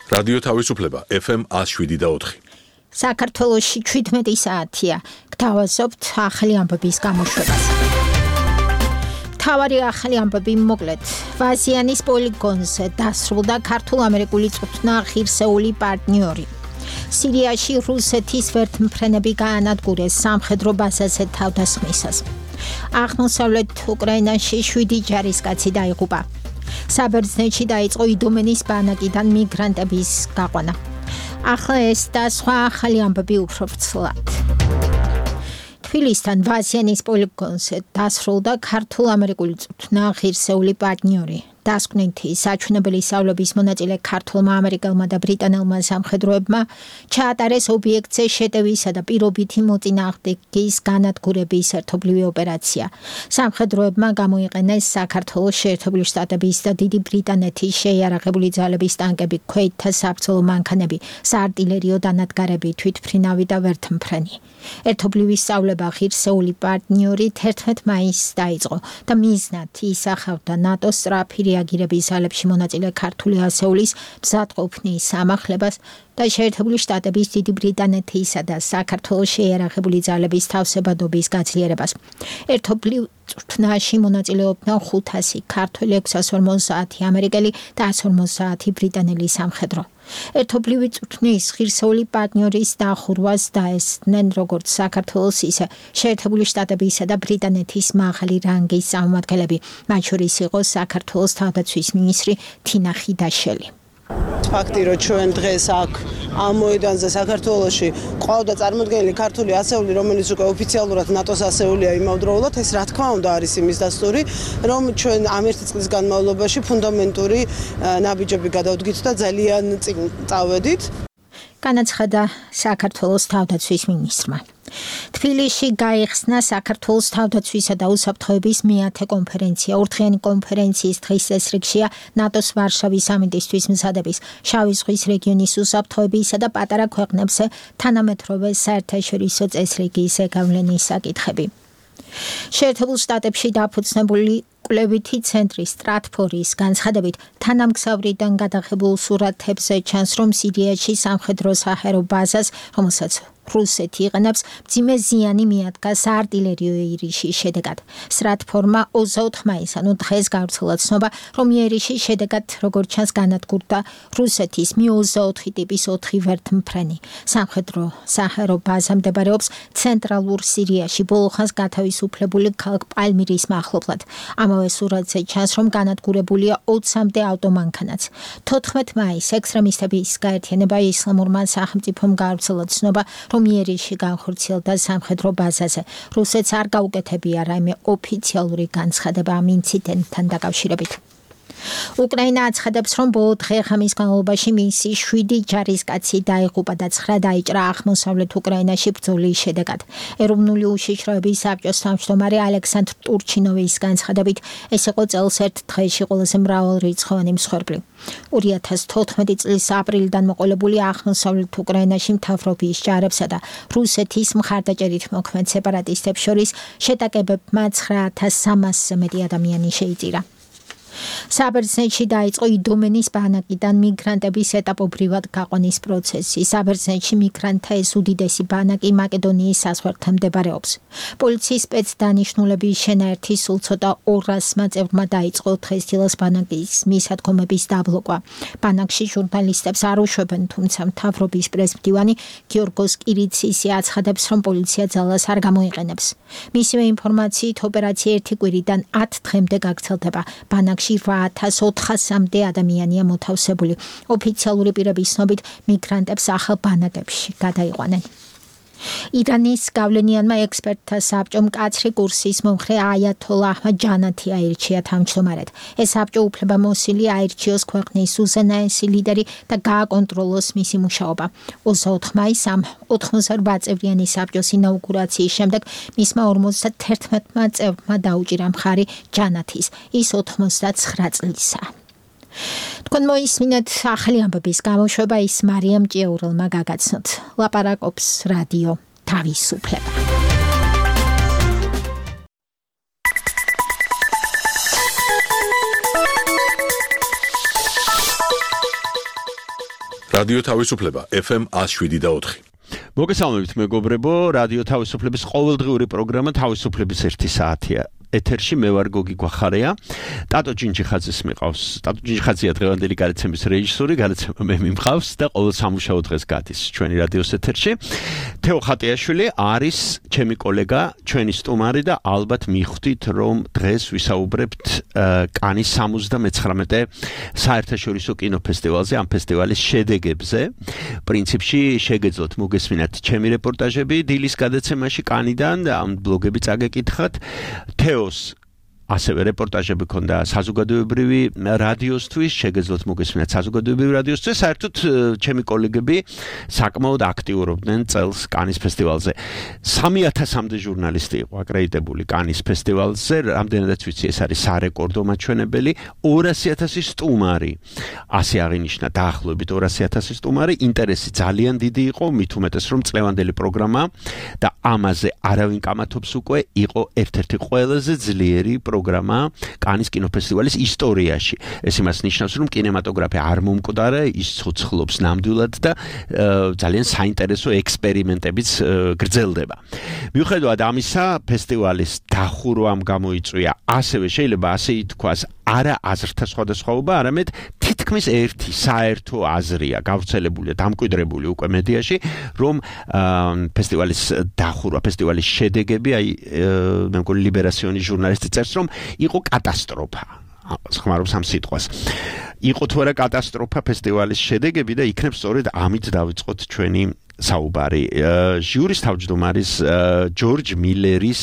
რადიო თავისუფლება FM 107.4. საქართველოში 17 საათია. გთავაზობთ ახალი ამბების გამოშვებას. თავარი ახალი ამბები მოკლედ. ვაზიანის პოლიგონზე დასრულდა ქართულ-ამერიკული წვრთნა ღირსეული პარტნიორი. სირიაში რუსეთის ვერტმფრენები გაანადგურეს სამხედრო ბაზაზე თავდასხმისას. აღმოსავლეთ უკრაინაში 7 ჯარისკაცი დაიღუპა. საბერძნეთში დაიწყო იდომენის ბანაკიდან მიგრანტების გაყვანა. ახლა ეს და სხვა ახალი ამბები უფრო ვრცლად. თბილისთან ვაზიანის პოლიგონზე დასრულდა ქართულ-ამერიკული წვრთნა ღირსეული პარტნიორი. დასკვნითი საჩვენებელი სწავლების მონაწილე ქართულმა, ამერიკელმა და ბრიტანელმა სამხედროებმა ჩაატარეს ობიექტზე შეტევისა და პირობითი მოწინააღმდეგის განადგურების ერთობლივი ოპერაცია. სამხედროებმა გამოიყენეს საქართველოს შეერთებული შტატების და დიდი ბრიტანეთის შეიარაღებული ძალების ტანკები, ქვეითთა საბრძოლო მანქანები, საარტილერიო დანადგარები, თვითმფრინავი და ვერტმფრენი. ერთობლივი სწავლება ღირსეული პარტნიორი 11 მაისს დაიწყო და მიზნად ისახავდა ნატოს სწრაფი რეაგირების ძალებში მონაწილე ქართული ასეულის მზადყოფნის ამახლებას და შეერთებული შტატების, დიდი ბრიტანეთისა და საქართველოს შეიარაღებული ძალების თავსებადობის გაძლიერებას. ერთობლივ წვრთნაში მონაწილეობდნენ 500 ქართველი, 650 ამერიკელი და 150 ბრიტანელი სამხედრო. ერთობლივი წვრთნის ღირსეული პარტნიორის დახურვას დაესწრნენ როგორც საქართველოს, ისე შეერთებული შტატებისა და ბრიტანეთის მაღალი რანგის წარმომადგენლები, მათ შორის იყო საქართველოს თავდაცვის მინისტრი თინა ხიდაშელი. ფაქტი, რომ ჩვენ დღეს აქ ამ მოედანზე საქართველოში ყავდა წარმოდგენილი ქართული ასეული, რომელიც უკვე ოფიციალურად ნატოს ასეულია იმავდროულად, ეს რა თქმა უნდა არის იმის დასტური, რომ ჩვენ ამ ერთი წლის განმავლობაში ფუნდამენტური ნაბიჯები გადავდგით და ძალიან წინ წავედით. განაცხადა საქართველოს თავდაცვის მინისტრმა. თბილისში გაიხსნა საქართველოს თავდაცვისა და უსაფრთხოების მეათე კონფერენცია. ორდღიანი კონფერენციის დღის წესრიგშია ნატოს ვარშავის სამიტისთვის მზადების, შავი ზღვის რეგიონის უსაფრთხოებისა და პატარა ქვეყნებზე თანამედროვე საერთაშორისო წესრიგის ზეგავლენის საკითხები. შეერთებულ შტატებში დაფუძნებული კვლევითი ცენტრი სტრატფორის განცხადებით, თანამგზავრიდან გადაღებულ სურათებზე ჩანს, რომ სირიაში სამხედრო საჰაერო ბაზას, რომელსაც რუსეთი იყენებს, მძიმე ზიანი მიადგა საარტილერიო იერიშის შედეგად. სტრატფორმა 24 მაისს, ანუ დღეს გავრცელა ცნობა, რომ იერიშის შედეგად, როგორც ჩანს, განადგურდა რუსეთის Mi-24 ტიპის 4 ვერტმფრენი. სამხედრო საჰაერო ბაზა მდებარეობს ცენტრალურ სირიაში, ბოლო ხანს გათავისუფლებული ქალაქ პალმირის მახლობლად. ამავე სურათზე ჩანს, რომ განადგურებულია 20-მდე ავტომანქანაც. 14 მაისს ექსტრემისტების გაერთიანება ისლამურმა სახელმწიფომ გავრცელა ცნობა, რომ იერიში განხორციელდა სამხედრო ბაზაზე. რუსეთს არ გაუკეთებია რაიმე ოფიციალური განცხადება ამ ინციდენტთან დაკავშირებით. უკრაინა აცხადებს, რომ ბოლო დღე-ღამის განმავლობაში მისი 7 ჯარისკაცი დაიღუპა და 9 დაიჭრა აღმოსავლეთ უკრაინაში ბრძოლის შედეგად. ეროვნული უშიშროების საბჭოს თავმჯდომარე ალექსანდრ ტურჩინოვის განცხადებით, ეს იყო წელს ერთ დღეში ყველაზე მრავალრიცხოვანი მსხვერპლი. 2014 წლის აპრილიდან მოყოლებული აღმოსავლეთ უკრაინაში მთავრობის ჯარებსა და რუსეთის მხარდაჭერით მოქმედ სეპარატისტებს შორის შეტაკებებმა 9300-ზე მეტი ადამიანი შეიწირა. საბერძნეთში დაიწყო იდომენის ბანაკიდან მიგრანტების ეტაპობრივად გაყვანის პროცესი. საბერძნეთში მიგრანტთა ეს უდიდესი ბანაკი მაკედონიის საზღვართან მდებარეობს. პოლიციის სპეცდანიშნულების შენაერთი სულ ცოტა 200 წევრმა დაიწყო დღესდილას ბანაკის მისადგომების დაბლოკვა. ბანაკში ჟურნალისტებს არ უშვებენ, თუმცა მთავრობის პრესმდივანი გიორგოს კირიცისი აცხადებს, რომ პოლიცია ძალას არ გამოიყენებს. მისივე ინფორმაციით, ოპერაცია ერთი კვირიდან 10 დღემდე გაგრძელდება. ბანაკში 8400-მდე ადამიანია მოთავსებული. ოფიციალური პირების ცნობით, მიგრანტებს ახალ ბანაკებში გადაიყვანენ. ირანის გავლენიანმა ექსპერტთა საბჭომ მკაცრი კურსის მომხრე აიათოლა აჰმად ჯანათი აირჩია თავმჯდომარედ. ეს საბჭო უფლებამოსილი აირჩიოს ქვეყნის უზენაესი ლიდერი და გააკონტროლოს მისი მუშაობა. 24 მაისს ამ 88 წევრიანი საბჭოს ინაუგურაციის შემდეგ მისმა 51 წევრმა დაუჭირა მხარი ჯანათის. ის 99 წლისაა. თქვენ მოისმინეთ ახალი ამბების გამოშვება, ის მარიამ ჭიაურელმა გაგაცნოთ. ლაპარაკობს რადიო თავისუფლება. რადიო თავისუფლება FM 107.4. მოგესალმებით მეგობრებო, რადიო თავისუფლების ყოველდღიური პროგრამა თავისუფლების 1 საათია. ეთერში მე ვარ გოგი გვახარია. ტატო ჯინჯიხაძის მიყავს. ტატო ჯინჯიხაძია დღევანდელი გადაცემის რეჟისორი, გადაცემა მე მიმყავს და ყოველ სამუშაო დღეს გადის ჩვენი რადიოს ეთერში. თეო ხატიაშვილი არის ჩემი კოლეგა, ჩვენი სტუმარი და ალბათ მიხვდით, რომ დღეს ვისაუბრებთ კანის 79-ე საერთაშორისო კინოფესტივალზე, ამ ფესტივალის შედეგებზე. პრინციპში შეგეძლოთ მოგესმინათ ჩემი რეპორტაჟები დილის გადაცემაში კანიდან, ამ ბლოგები წაგეკითხათ. ასევე რეპორტაჟები ქონდა საზოგადოებრივი რადიოსთვის, შეგეძლოთ მოგესმინათ საზოგადოებრივი რადიოსთვის, საერთოდ ჩემი კოლეგები საკმაოდ აქტიურობდნენ წელს კანის ფესტივალზე. 3000-მდე ჟურნალისტი იყო აკრედიტებული კანის ფესტივალზე, რამდენადაც ვიცი, ეს არის სარეკორდო მაჩვენებელი, 200,000 სტუმარი. ასე აღინიშნა დაახლოებით 200,000 სტუმარი, ინტერესი ძალიან დიდი იყო, მით უმეტეს რომ წლევანდელი პროგრამა და ამაზე არავინ კამათობს უკვე, იყო ერთ-ერთი ყველაზე ძლიერი პროგრამა კანის კინოფესტივალის ისტორიაში. ეს იმას ნიშნავს, რომ კინემატოგრაფია არ მომკვდარა, ის ცოცხლობს ნამდვილად და ძალიან საინტერესო ექსპერიმენტებიც გრძელდება. მიუხედავად ამისა, ფესტივალის დახურვამ გამოიწვია, ასევე შეიძლება ასე ითქვას, არა აზრთა სხვადასხვაობა, არამედ თითქმის ერთი საერთო აზრია გავრცელებული, დამკვიდრებული უკვე მედიაში, რომ ფესტივალის დახურვა, ფესტივალის შედეგები, მე მგონი ლიბერაციონის ჟურნალისტი წერს, რომ იყო კატასტროფა. ხმარობს ამ სიტყვას. იყო თუ არა კატასტროფა ფესტივალის შედეგები და იქნებ სწორედ ამით დავიწყოთ ჩვენი საუბარი. ჟიურის თავმჯდომარის ჯორჯ მილერის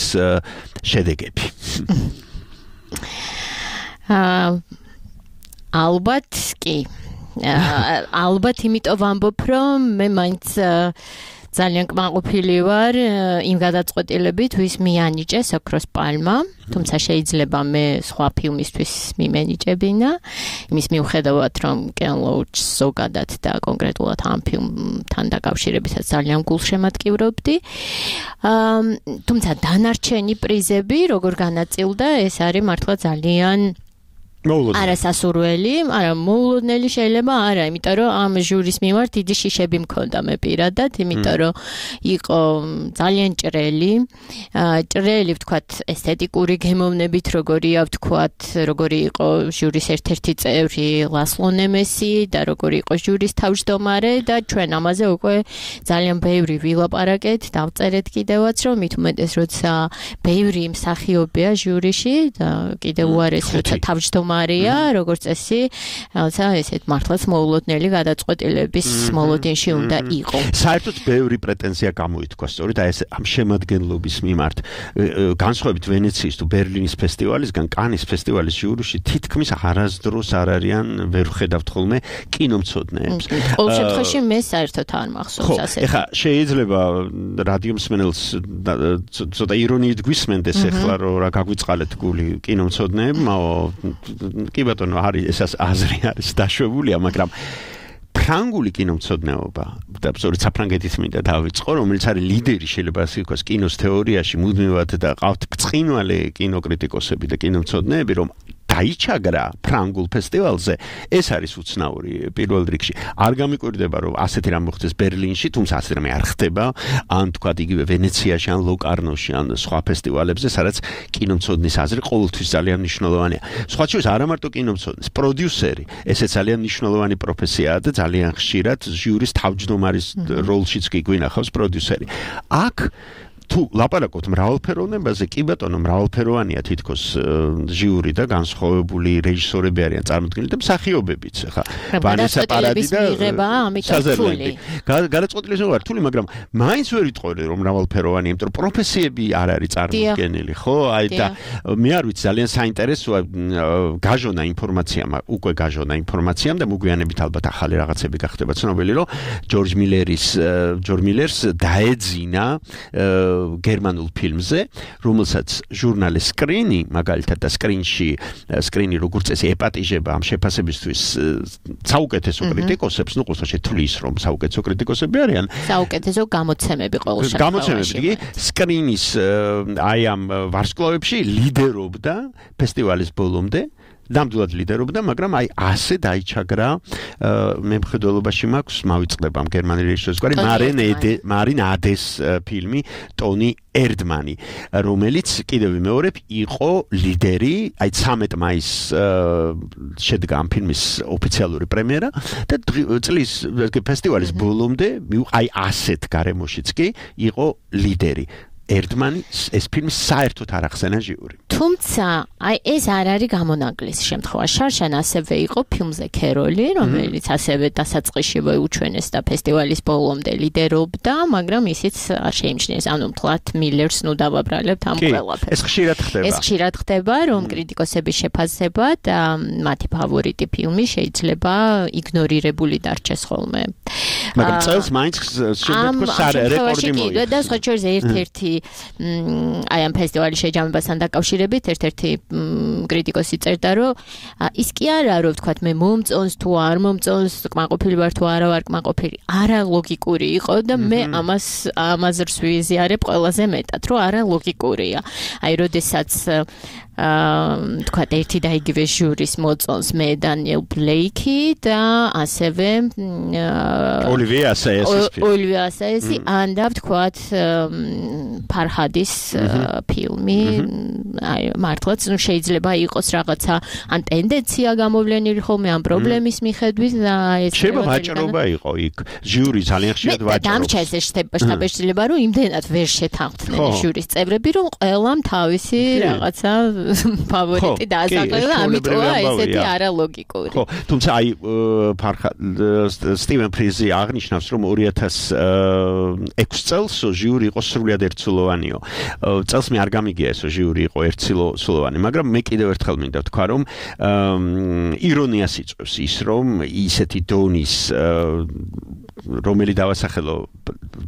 შედეგები. ალბათ კი. ალბათ იმიტომ ვამბობ, რომ მე მაინც ძალიან კმაყოფილი ვარ იმ გადაწყვეტილებით, ვის მიანიჭეს ოქროს პალმა, თუმცა შეიძლება მე სხვა ფილმისთვის მიმენიჭებინა, იმის მიუხედავად, რომ კენ ლოუჩს ზოგადად და კონკრეტულად ამ ფილმთან დაკავშირებითაც ძალიან გულშემატკივრობდი. თუმცა დანარჩენი პრიზები, როგორ განაწილდა, ეს არის მართლა ძალიან არასასურველი, არა მოულოდნელი შეიძლება არა, იმიტომ რომ ამ ჟურის მიმართ დიდი შიშები მქონდა მე პირადად, იმიტომ რომ იყო ძალიან ჭრელი, ვთქვათ, ესთეტიკური გემოვნებით, როგორია ვთქვათ, როგორი იყო ჟურის ერთ-ერთი წევრი ლასლო ნემესი და როგორი იყო ჟურის თავმჯდომარე და ჩვენ ამაზე უკვე ძალიან ბევრი ვილაპარაკეთ, დავწერეთ კიდევაც, რომ მით უმეტეს როცა ბევრი მსახიობია ჟურიში და კიდევ უარეს როცა თავმჯდომარე მარია, როგორც წესი, რაცა ესეთ მართლაც მოულოდნელი გადაწყვეტილების მოლოდინში უნდა იყო. საერთოდ ბევრი პრეტენზია გამოითქვა სწორედ ეს ამ შემადგენლობის მიმართ. განსხვავებით ვენეციის თუ ბერლინის ფესტივალისგან, კანის ფესტივალის ჟურიში თითქმის არასდროს არ არიან, ვერ ვხედავთ ხოლმე კინომცოდნეებს. ყოველ შემთხვევაში მე საერთოდ არ მახსოვს ასეთი. ეხლა შეიძლება რადიო მსმენელს ცოტა ირონიით გვისმენდეს ეხლა რომ რა გაგვიწყალეთ გული კინომცოდნეებმა, კი ბატონო, ეს აზრი არის დაშვებულია, მაგრამ ფრანგული კინომცოდნეობა და სწორედ საფრანგეთის მინდა დავიწყო, რომელიც არის ლიდერი შეიძლება ასე ვთქვას კინოს თეორიაში, მუდმივად და ყავთ ბრწყინვალე კინოკრიტიკოსები და კინომცოდნეები, რომ დაიჩაგრა ფრანგულ ფესტივალზე, ეს არის უცნაური პირველ რიგში. არ გამიკვირდება, რომ ასეთი რამ მოხდეს ბერლინში, თუმცა ასეთი რამე არ ხდება, ან თქვათ იგივე ვენეციაში, ან ლოკარნოში, ან სხვა ფესტივალებზე, სადაც კინომცოდნის აზრი ყოველთვის ძალიან მნიშვნელოვანია. სხვა შორის არა მარტო კინომცოდნის, პროდიუსერი, ესეც ძალიან მნიშვნელოვანი პროფესიაა და ძალიან ხშირად ჟიურის თავმჯდომარის როლშიც კი გვინახავს პროდიუსერი. აქ თუ ლაპარაკობთ მრავალფეროვნებაზე, კი ბატონო, მრავალფეროვანია თითქოს ჟიური და განსხვავებული რეჟისორები არიან წარმოდგენილი და მსახიობებიც, ხა. ვანესა პარადი და საზერლები. გადაწყვეტილების ვარ რთული, მაგრამ მაინც ვერ ვიტყოდი, რომ მრავალფეროვანია, იმიტომ რომ პროფესიები არ არის წარმოდგენილი, ხო? აი და მე არ ვიცი, ძალიან საინტერესოა გაჟონა ინფორმაციამ და მოგვიანებით ალბათ ახალი რაღაცები გახდება ცნობილი, რომ ჯორჯ მილერს დაეძინა გერმანულ ფილმზე, რომელსაც ჟურნალი სკრინი, მაგალითად და სკრინი როგორც წესი ეპატიჟება ამ შეფასებისთვის საუკეთესო კრიტიკოსებს, ნუ ყოველთვის თulis რომ საუკეთესო კრიტიკოსები არიან. საუკეთესო გამოცემები ყოველ შემთხვევაში. გამოცემები, კი, სკრინის აი ამ ვარსკვლავებში ლიდერობდა ფესტივალის ბოლომდე ნამდვილად ლიდერობდა, მაგრამ აი ასე დაიჩაგრა მემხედველობაში მაქვს მავიწყდება გერმანელი რეჟისორის გვარი მარინ ადეს ფილმი ტონი ერდმანი, რომელიც კიდევ ვიმეორებ იყო ლიდერი, აი 13 მაისს შედგა ამ ფილმის ოფიციალური პრემიერა და წლის ფესტივალის ბოლომდე აი ასეთ გარემოშიც კი იყო ლიდერი. ერდმანი ეს ფილმი საერთოდ არ ახსენა ჟიური. თუმცა, აი ეს არ არის გამონაკლისი შემთხვევა. შარშან ასევე იყო ფილმზე ქეროლი, რომელიც ასევე დასაწყისში უჩვენეს და ფესტივალის ბოლომდე ლიდერობდა, მაგრამ ისიც არ შეიმჩნიეს. ანუ მთლად მილერს ნუ დავაბრალებთ ამ ყველაფერს. ეს ხშირად ხდება. ეს ხშირად ხდება, რომ კრიტიკოსების შეფასებად მათი ფავორიტი ფილმი შეიძლება იგნორირებული დარჩეს ხოლმე. მაგრამ წელს მაინც რეკორდი მოიგო. და სხვა შორის ერთ-ერთი აი ამ ფესტივალის შეჯამებასთან დაკავშირებით ერთ-ერთი კრიტიკოსი წერდა, რომ ის კი არა, რომ ვთქვათ, მე მომწონს თუ არ მომწონს, კმაყოფილი ვარ თუ არა ვარ კმაყოფილი, არა ლოგიკური იყო და მე ამას ვიზიარებ ყველაზე მეტად, რომ არა ლოგიკურია. აი, როდესაც თქვათ ერთი და იგივე ჟურის მოწონს მე დანიელ ბლეიკი და ასევე ოლივია ასაესი ან და ვთქვათ ფარჰადის ფილმი აი მართლაც ნუ შეიძლება იყოს რაღაცა ან ტენდენცია გამოვლენილი ხოლმე ამ პრობლემის მიხედვით და ეს შეიძლება ვაჭრობა იყო იქ ჟური ძალიან ხშირად ვაჭრობს დამჭა ეს შტაბ-შეიძლება რომ იმდენად ვერ შეთანხმდნენ ჟურის წევრები რომ ყველამ თავისი რაღაცა ფავორიტი დაასახელა, ამიტომა ესეთი არალოგიკური. ხო, თუმცა აი სტივენ ფრიზი აღნიშნავს, რომ 2006 წელს ჟიური იყო სრულიად ერთსულოვანიო. წელს მე არ გამიგია ეს ჟიური იყო ერთსულოვანი, მაგრამ მე კიდევ ერთხელ მინდა ვთქვა, რომ ირონიას იწვევს ის, რომ ისეთი დონის რომელი დავასახელო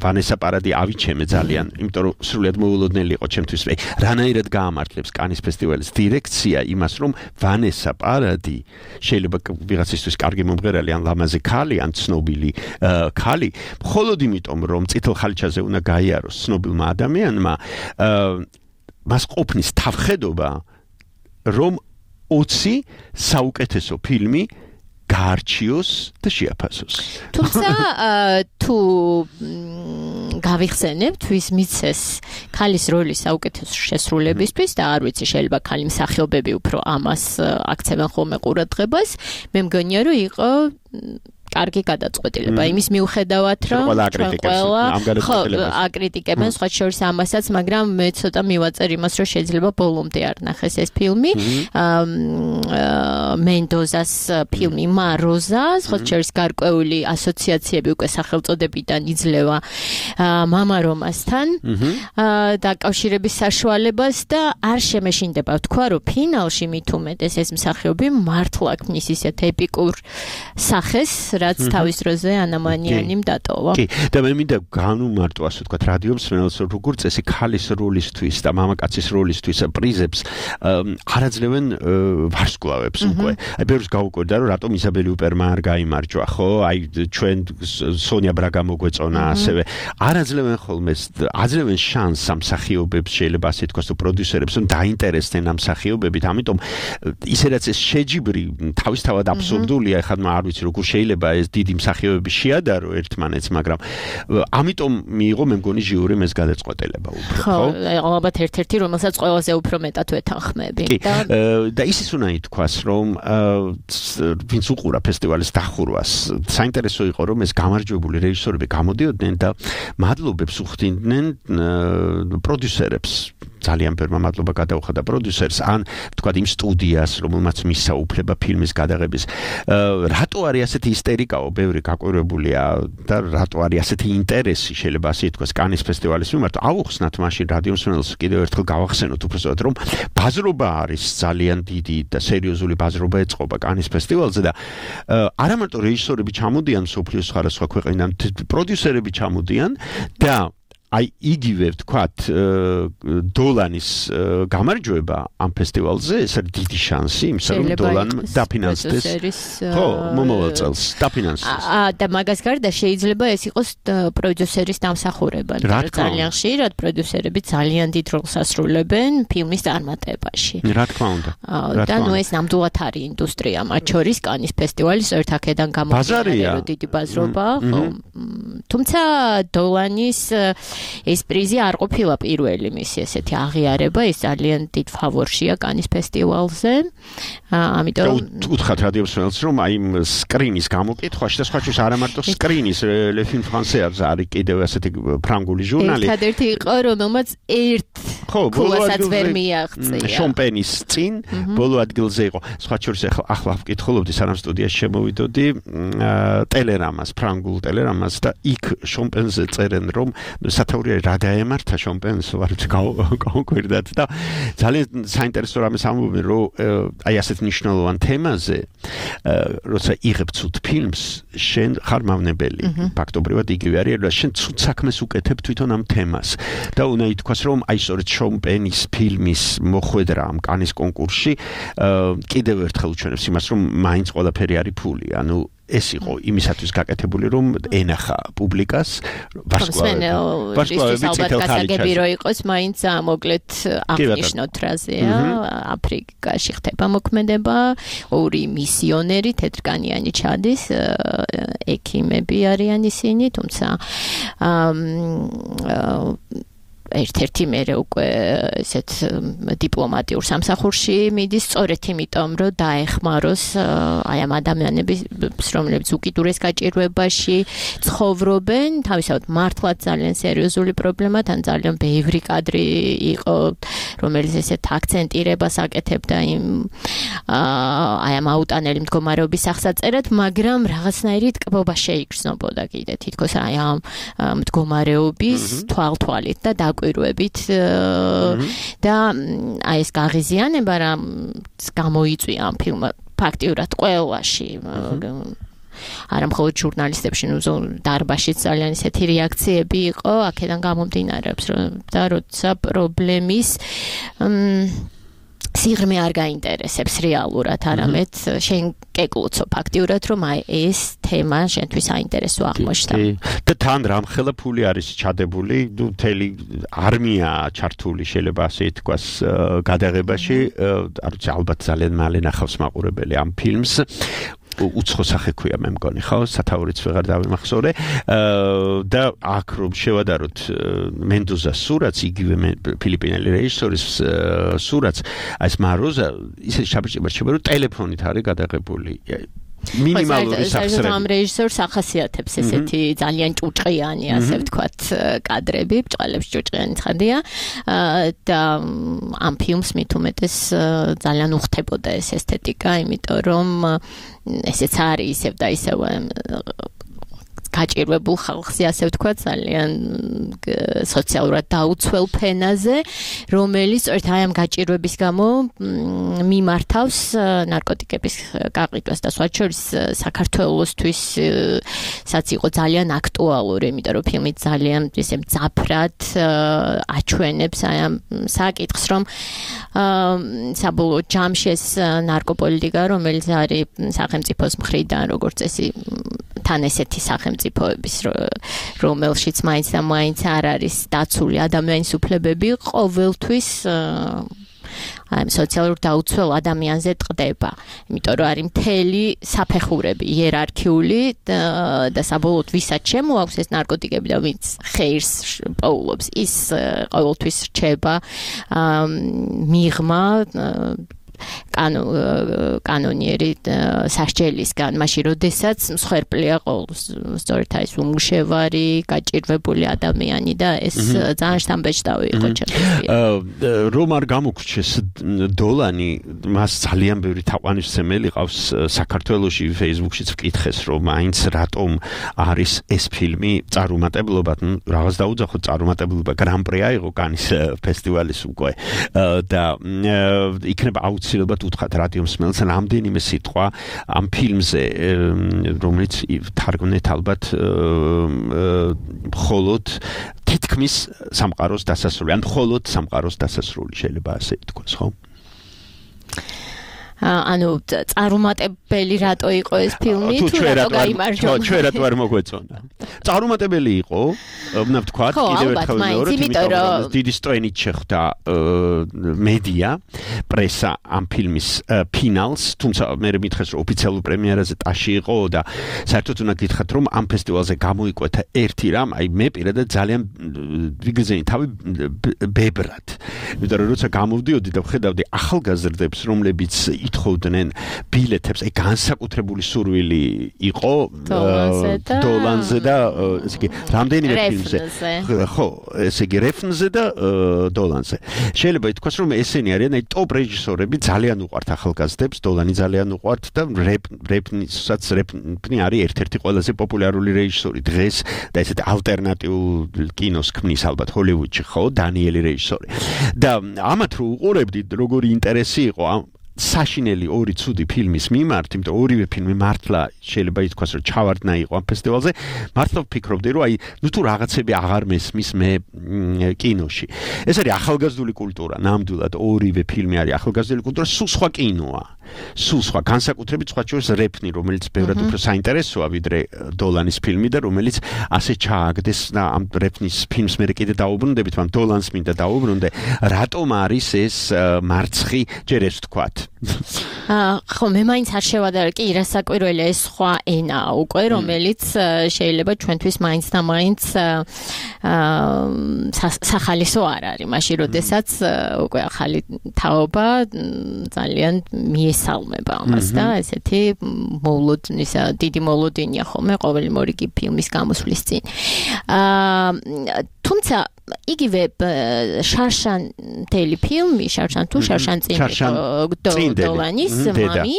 ვანესა პარადი ავიჩემე ძალიან, იმიტომ რომ სრულიად მოულოდნელი იყო ჩემთვის. რანაირად გაამართლებს კანის ფესტივალის დირექცია იმას, რომ ვანესა პარადი შეიძლება ვიღაცისთვის კარგი მომღერალი ან ლამაზი ქალი ან ცნობილი ქალი, მხოლოდ იმიტომ რომ წითელ ხალიჩაზე უნდა გაიაროს ცნობილმა ადამიანმა, მას ყოფნის თავხედობა, რომ 20 საუკეთესო ფილმი გაარჩიოს და შეაფასოს. თუმცა თუ გავიხსენებთ ვის მიცეს ქალის როლის საუკეთესო შესრულებისთვის და არ ვიცი შეიძლება ქალი მსახიობები უფრო ამას აქცევენ ხოლმე ყურადღებას, მე მგონია რომ იყო კარგი გადაწყვეტილება იმის მიუხედავად რომ აკრიტიკებენ სხვა შორის ამასაც, მაგრამ მე ცოტა მივაწერ იმას, რომ შეიძლება ბოლომდე არ ნახეს ეს ფილმი. მენდოზას ფილმი მაროზა, სხვა შორის გარკვეული ასოციაციები უკვე სახელწოდებიდან იძლევა მამა რომასთან დაკავშირების საშუალებას და არ შემეშინდება ვთქვა, რომ ფინალში მით უმეტეს ეს მსახიობი მართლა ქმნის ისეთ ეპიკურ სახეს, რაც თავის დროზე ანამანიანიმ დატოვა. კი, და მე მინდა განუმარტო ასე ვთქვათ რადიო მსმენელს, როგორ წესი ქალის როლისთვის და მამაკაცის როლისთვის პრიზებს არაძლევენ ვარსკვლავებს უკვე. აი ბევრს გაუკვირდა, რომ რატომ იზაბელი უპერმა არ გაიმარჯვა, ხო? აი ჩვენ სონია ბრაგა მოგვეწონა ასევე. არაძლევენ ხოლმე, აძლევენ შანსს ამ მსახიობებს, შეიძლება ასე ვთქვათ, პროდიუსერებს, რომ დაინტერესდნენ ამ მსახიობებით, ამიტომ ისე რაც ეს შეჯიბრი თავისთავად აბსურდულია, ეხლა არ ვიცი როგორ შეიძლება ეს დიდი მსახიობები შეადარო ერთმანეთს, მაგრამ ამიტომ მიიღო მე მგონი ჟიურიმ ეს გადაწყვეტილება უფრო, ხო? ალბათ ერთ-ერთი რომელსაც ყველაზე უფრო მეტად ვეთანხმები. და ისიც უნდა ითქვას, რომ ვინც უყურა ფესტივალის დახურვას, საინტერესო იყო, რომ ეს გამარჯვებული რეჟისორები გამოდიოდნენ და მადლობებს უხდიდნენ პროდიუსერებს. ძალიან ბევრმა მადლობა გადაუხადა პროდიუსერს, ან ვთქვათ იმ სტუდიას, რომელმაც მისცა უფლება ფილმის გადაღების. რატო არის ასეთი ისტერიკაო, ბევრი გაკვირვებულია და რატო არის ასეთი ინტერესი, შეიძლება ასე ითქვას, კანის ფესტივალის მიმართ. ავუხსნათ მაშინ რადიო მსმენელს კიდევ ერთხელ გავახსენოთ უბრალოდ, რომ ბაზრობა არის ძალიან დიდი და სერიოზული ბაზრობა ეწყობა კანის ფესტივალზე და არა მარტო რეჟისორები ჩამოდიან მსოფლიოს სხვადასხვა ქვეყნიდან, პროდიუსერები ჩამოდიან და აი იგივე ვთქვათ დოლანის გამარჯვება ამ ფესტივალზე ეს არის დიდი შანსი იმისა რომ დოლანმა დაფინანსდეს ხო მომავალ წელს დაფინანსდეს და მაგას გარდა შეიძლება ეს იყოს პროდიუსერის დამსახურება ძალიან ხშირად პროდიუსერები ძალიან დიდ როლს ასრულებენ ფილმის წარმატებაში რა თქმა უნდა და ნუ ეს ნამდვილად არის ინდუსტრია მათ შორის კანის ფესტივალის ერთ აქედან გამომდინარე რომ დიდი ბაზრობა ხო თუმცა დოლანის ეს პრიზი არ ყოფილა პირველი მისი ესეთი აღიარება, ეს ძალიან დიდ ფავორშია კანის ფესტივალზე. ამიტომ უთხრათ რადიოსმენელს რომ აი სკრინის გამოკითხვაში და სხვა შორის არა მარტო სკრინის Le Film Français არის კიდევ ასეთი ფრანგული ჟურნალი. ერთადერთი იყო რომელმაც ერთ ქულასაც ვერ მიაღწია. შომპენის წინ ბოლო ადგილზე იყო. სხვა შორის ახლა ვკითხულობდი სანამ სტუდიაში შემოვიდოდი ტელერამას, ფრანგულ ტელერამას და იქ შომპენზე წერენ რომ სათაურია რა დაემართა შომპენს ვართ გავუკვირდათ და ძალიან საინტერესო რამეს ამბობენ რომ აი ასეთ მნიშვნელოვან თემაზე როცა იღებ ცუდ ფილმს შენ ხარ მავნებელი ფაქტობრივად იგივე არის რომ შენ ცუდ საქმეს უკეთებ თვითონ ამ თემას და უნდა ითქვას რომ აი სწორედ შომპენის ფილმის მოხვედრა ამ კანის კონკურსში კიდევ ერთხელ უჩვენებს იმას რომ მაინც ყველაფერი არის ფული ანუ ეს იყო იმისათვის გაკეთებული რომ ენახა პუბლიკას ვარსკვლავები ციტელ ხალხი რო იყოს მაინც მოკლედ აღნიშნოთ რაზეა აფრიკაში ხდება მოქმედება ორი მისიონერი თეთრკანიანი ჩადის ექიმები არიან ისინი თუმცა ერთ-ერთი მერე უკვე ესეთ დიპლომატიურ სამსახურში მიდის სწორედ იმიტომ რომ დაეხმაროს აი ამ ადამიანების რომლებიც უკიდურეს გაჭირვებაში ცხოვრობენ თავისთავად მართლაც ძალიან სერიოზული პრობლემა თან ძალიან ბევრი კადრი იყო რომელიც ესეთ აქცენტირებას აკეთებდა იმ აი ამ აუტანელი მდგომარეობის აღსაწერად მაგრამ რაღაცნაირი ტკბობა შეიგრძნობოდა კიდე თითქოს აი ამ მდგომარეობის თვალთვალით და კვირვებით და აი ეს გაღიზიანება რომ გამოიწვია ამ ფილმმა ფაქტიურად ყველაში არა მხოლოდ ჟურნალისტებში ნუ დარბაშიც ძალიან ისეთი რეაქციები იყო აქედან გამომდინარეობს და როცა პრობლემის სიღრმე არ გაინტერესებს რეალურად არამედ შენ კეკლუცო ფაქტიურად რომ აი ეს თემა შენთვის საინტერესო აღმოჩნდა და თან რამხელა ფული არის ჩადებული ნუ მთელი არმია ჩართული შეიძლება ასე ითქვას გადაღებაში არ ვიცი ალბათ ძალიან მალე ნახავს მაყურებელი ამ ფილმს უცხო სახე ქვია მე მგონი ხო სათაურიც ვეღარ დავიმახსოვრე და აქ რომ შევადაროთ მენდოზას სურათს იგივე ფილიპინელი რეჟისორის სურათს აი ეს მაროზა ისე შაბჭება რომ ტელეფონით არის გადაღებული მინიმალური სახსრები ამ რეჟისორს ახასიათებს ესეთი ძალიან ჭუჭყიანი ასე ვთქვათ კადრები ბჭყალებს ჭუჭყიანი ცხადია და ამ ფილმს მით უმეტეს ძალიან უხდებოდა ეს ესთეტიკა იმიტომ რომ ესეც არის ისევ და ისევ გაჭირვებულ ხალხზე ასე ვთქვათ ძალიან სოციალურად დაუცველ ფენაზე რომელიც ერთ აი ამ გაჭირვების გამო მიმართავს ნარკოტიკების გაყიდვას და სხვა შორის საქართველოსთვის საც იყო ძალიან აქტუალური იმიტომ რომ ფილმი ძალიან ისე მძაფრად აჩვენებს აი ამ საკითხს რომ საბოლოო ჯამში ეს ნარკოპოლიტიკა რომელიც არის სახელმწიფოს მხრიდან როგორც წესი თან ესეთი სახელმწიფოების რომელშიც მაინც და მაინც არ არის დაცული ადამიანის უფლებები ყოველთვის აი სოციალურ დაუცველ ადამიანზე ტყდება იმიტომ რომ არის მთელი საფეხურები იერარქიული და საბოლოოდ ვისაც შემოაქვს ეს ნარკოტიკები და ვინც ხეირს პოულობს ის ყოველთვის რჩება მიღმა კანონიერი სასჯელისგან მაშინ როდესაც მსხვერპლია სწორედ ეს უმუშევარი გაჭირვებული ადამიანი და ეს ძალიან შთამბეჭდავი იყო ჩემთვის რომ არ გამოგრჩეს დოლანი მას ძალიან ბევრი თაყვანისმცემელი ყავს საქართველოში Facebook-შიც ვკითხეს რომ მაინც რატომ არის ეს ფილმი წარუმატებლობად რაღაც დაუძახოთ წარუმატებლობა გრან-პრი აიღო კანის ფესტივალის უკვე და იქნება აუცილებლად უთხრათ რადიო მსმენელს რამდენიმე სიტყვა ამ ფილმზე, რომელიც თარგმნეთ ალბათ მხოლოდ თითქმის სამყაროს დასასრული, ან მხოლოდ სამყაროს დასასრული შეიძლება ასე ითქვას, ხო? ანუ წარუმატებელი რატო იყო ეს ფილმი თუ რატო გაიმარჯვნა? ჩვენ რატო არ მოგვეწონა? წარუმატებელი იყო, უნდა ვთქვათ, კიდევ ერთხელ მეორე, იმიტომ რომ დიდი სტრენით შეხვდა მედია, პრესა ამ ფილმის ფინალს, თუმცა მე მითხეს რომ ოფიციალურ პრემიერაზე ტაში იყო და საერთოდ უნდა გითხრათ რომ ამ ფესტივალზე გამოიკვეთა ერთი რამ, აი მე პირადად ძალიან ვიგრძენი თავი ბებრად. იმიტომ რომ როცა გამოვდიოდი და ვხედავდი ახალგაზრდებს, რომლებიც ითხოვდნენ ბილეთებს, აი განსაკუთრებული სურვილი იყო დოლანზე და ესე იგი რამდენიმე ფილმზე. ხო, ესე იგი რეფნზე და დოლანზე. შეიძლება ითქვას რომ ესენი არიან აი ტოპ რეჟისორები, ძალიან უყვართ ახალგაზრდებს, დოლანი ძალიან უყვართ და რეფნი არის ერთ-ერთი ყველაზე პოპულარული რეჟისორი დღეს და ესეთი ალტერნატიულ კინოს ქმნის ალბათ ჰოლივუდში, ხო, დანიელი რეჟისორი. და ამათ რო უყურებდით, როგორი ინტერესი იყო საშინელი ორი ცუდი ფილმის მიმართ, იმიტომ ორივე ფილმი მართლა შეიძლება ითქვას რომ ჩავარდნა იყო ამ ფესტივალზე, მართლა ვფიქრობდი რომ აი ნუ თუ რაღაცები აღარ მესმის მე კინოში. ეს არის ახალგაზრდული კულტურა, ნამდვილად ორივე ფილმი არის ახალგაზრდული კულტურა, სულ სხვა კინოა. სულ სხვა, განსაკუთრებით სხვა შორის რეფნი, რომელიც ბევრად უფრო საინტერესოა ვიდრე დოლანის ფილმი და რომელიც ასე ჩააგდეს და ამ რეფნის ფილმს მე კიდე დაუბრუნდებით, მაგრამ დოლანს მინდა დაუბრუნდე, რატომ არის ეს მარცხი, ჯერ ეს ვთქვათ. ხო, მე მაინც არ შევადარ კი რასაკვირველია ეს სხვა ენაა უკვე, რომელიც შეიძლება ჩვენთვის მაინც და მაინც სახალისო არ არის, მაშინ როდესაც უკვე ახალი თაობა ძალიან მიესალმება ამას და ესეთი დიდი მოლოდინია ხოლმე ყოველი მორიგი ფილმის გამოსვლის წინ. თუმცა იგივე შარშანტელი ფილმი, შარშან დოლანის მამი,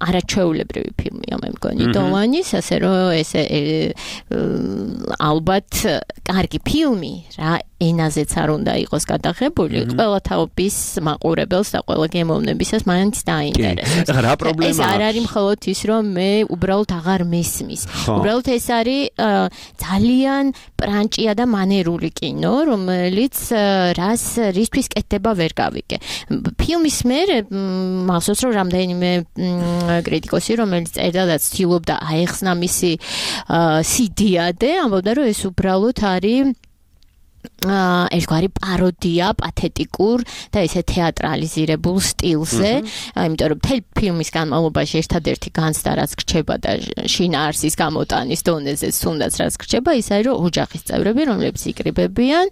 არაჩვეულებრივი ფილმია მე მგონი დოლანის, ასე რომ ეს ალბათ კარგი ფილმი რა ენაზეც არ უნდა იყოს გადაღებული, ყველა თაობის მაყურებელს და ყველა გემოვნებისას მაინც დაინტერესებს. რა პრობლემაა? ეს არ არის მხოლოდ ის, რომ მე უბრალოდ აღარ მესმის. უბრალოდ ეს არის ძალიან პრანჭია და მანერული კინო, რომელიც რისთვის კეთდება ვერ გავიგე. ფილმის მერე მახსოვს რომ რამდენიმე კრიტიკოსი, რომელიც წერდა და ცდილობდა აეხსნა მისი სიდიადე, ამბობდა რომ ეს უბრალოდ არის ერთგვარი პაროდია პათეტიკურ და ესე თეატრალიზირებულ სტილზე, იმიტომ რომ მთელი ფილმის განმავლობაში ერთადერთი განცდა რაც გრჩება და შინაარსის გამოტანის დონეზე თუნდაც რაც გრჩება, ის არის რომ ოჯახის წევრები, რომლებიც იკრიბებიან,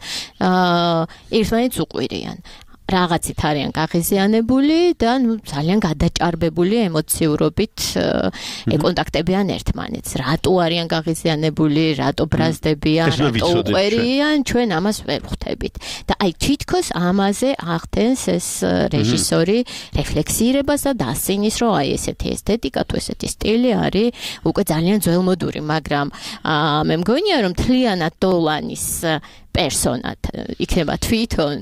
ერთმანეთს უყვირიან. რაღაცით არიან გაღიზიანებული და ძალიან გადაჭარბებული ემოციურობით ეკონტაქტებიან ერთმანეთს. რატო არიან გაღიზიანებული, რატო ბრაზდებიან, რატო უყვერიან, ჩვენ ამას ვერ ვხვდებით. და აი თითქოს ამაზე ახდენს ეს რეჟისორი რეფლექსირებას და დასცინის, რომ აი ესეთი ესთეტიკა თუ ესეთი სტილი არის უკვე ძალიან ძველმოდური, მაგრამ მე მგონია რომ თლიანად დოლანის პერსონად იქნება თვითონ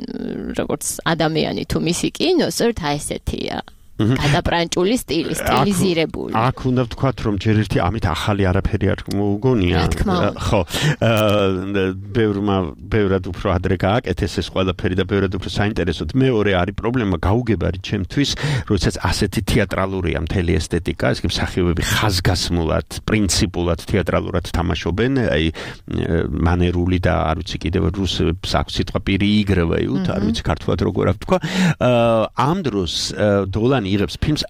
როგორც ადამიანი თუ მისი კინო, სწორედ ესეთია. გადაპრანჭული სტილი, სტილიზირებული. აქ უნდა ვთქვათ, რომ ჯერ ერთი ამით ახალი არაფერი არ მოუგონია. ხო. ბევრად უფრო ადრე გააკეთეს ეს ყველაფერი და ბევრად უფრო საინტერესოდ. მეორე არის პრობლემა გაუგებარი ჩემთვის, როდესაც ასეთი თეატრალურია მთელი ესთეტიკა, ეს კი მსახიობები ხაზგასმულად, პრინციპულად თეატრალურად თამაშობენ, აი მანერული და არ ვიცი კიდევ რუსებს აქვს სიტყვა переигрывают, არ ვიცი ქართულად როგორ ვთქვა. ამ დროს დოლანი იღებს ფილმს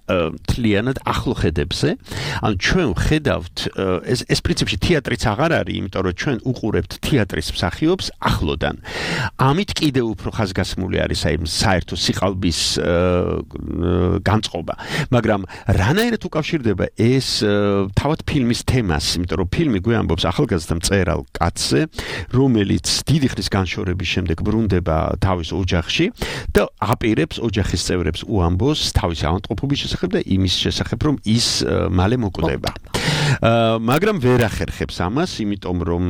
თლიანად ახლო ხედებზე. ანუ ჩვენ ვხედავთ ეს პრინციპში თეატრიც აღარ არის, იმიტომ რომ ჩვენ უყურებთ თეატრის მსახიობს ახლოდან. ამით კიდევ უფრო ხაზგასმული არის აი საერთო სიყალბის განწყობა. მაგრამ რანაირად უკავშირდება ეს თავად ფილმის თემას, იმიტომ რომ ფილმი გვეამბობს ახალგაზრდა მწერალ კაცზე, რომელიც დიდი ხნის განშორების შემდეგ ბრუნდება თავის ოჯახში და აპირებს ოჯახის წევრებს უამბოს თავის ავადმყოფობის შესახებ და იმის შესახებ, რომ ის მალე მოკვდება. მაგრამ ვერ ახერხებს ამას, იმიტომ რომ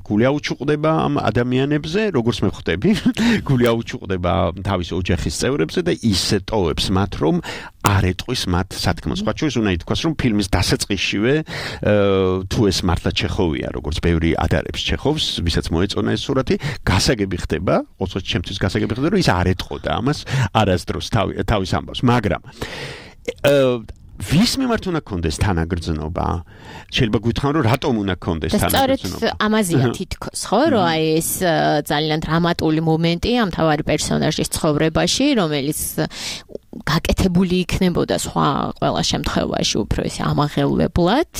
გული აუჩუყდება ამ ადამიანებზე, როგორც მე ხვდები, გული აუჩუყდება თავის ოჯახის წევრებზე და ისე ტოვებს მათ, რომ არ ეტყვის მათ სათქმელს. სხვა შორის უნდა ითქვას, რომ ფილმის დასაწყისშივე თუ ეს მართლა ჩეხოვია, როგორც ბევრი ადარებს ჩეხოვს, ვისაც მოეწონა ეს სურათი, გასაგები ხდება, ოღონდ ჩემთვის გასაგები ხდება, რომ ის არ ეტყოდა ამას არასდროს თავის ამბავს, მაგრამ ვის მიმართ უნდა კონდეს თანაგრძნობა? შეიძლება გვითხრან რომ რატომ უნდა კონდეს თანაგრძნობა? სწორედ ამაზეა თითქოს, ხო, რომ აი ეს ძალიან დრამატული მომენტი ამ თავარი პერსონაჟის ცხოვრებაში, რომელიც გაკეთებული იქნებოდა სხვა ყველა შემთხვევაში უფრო ესე ამაღელვებლად.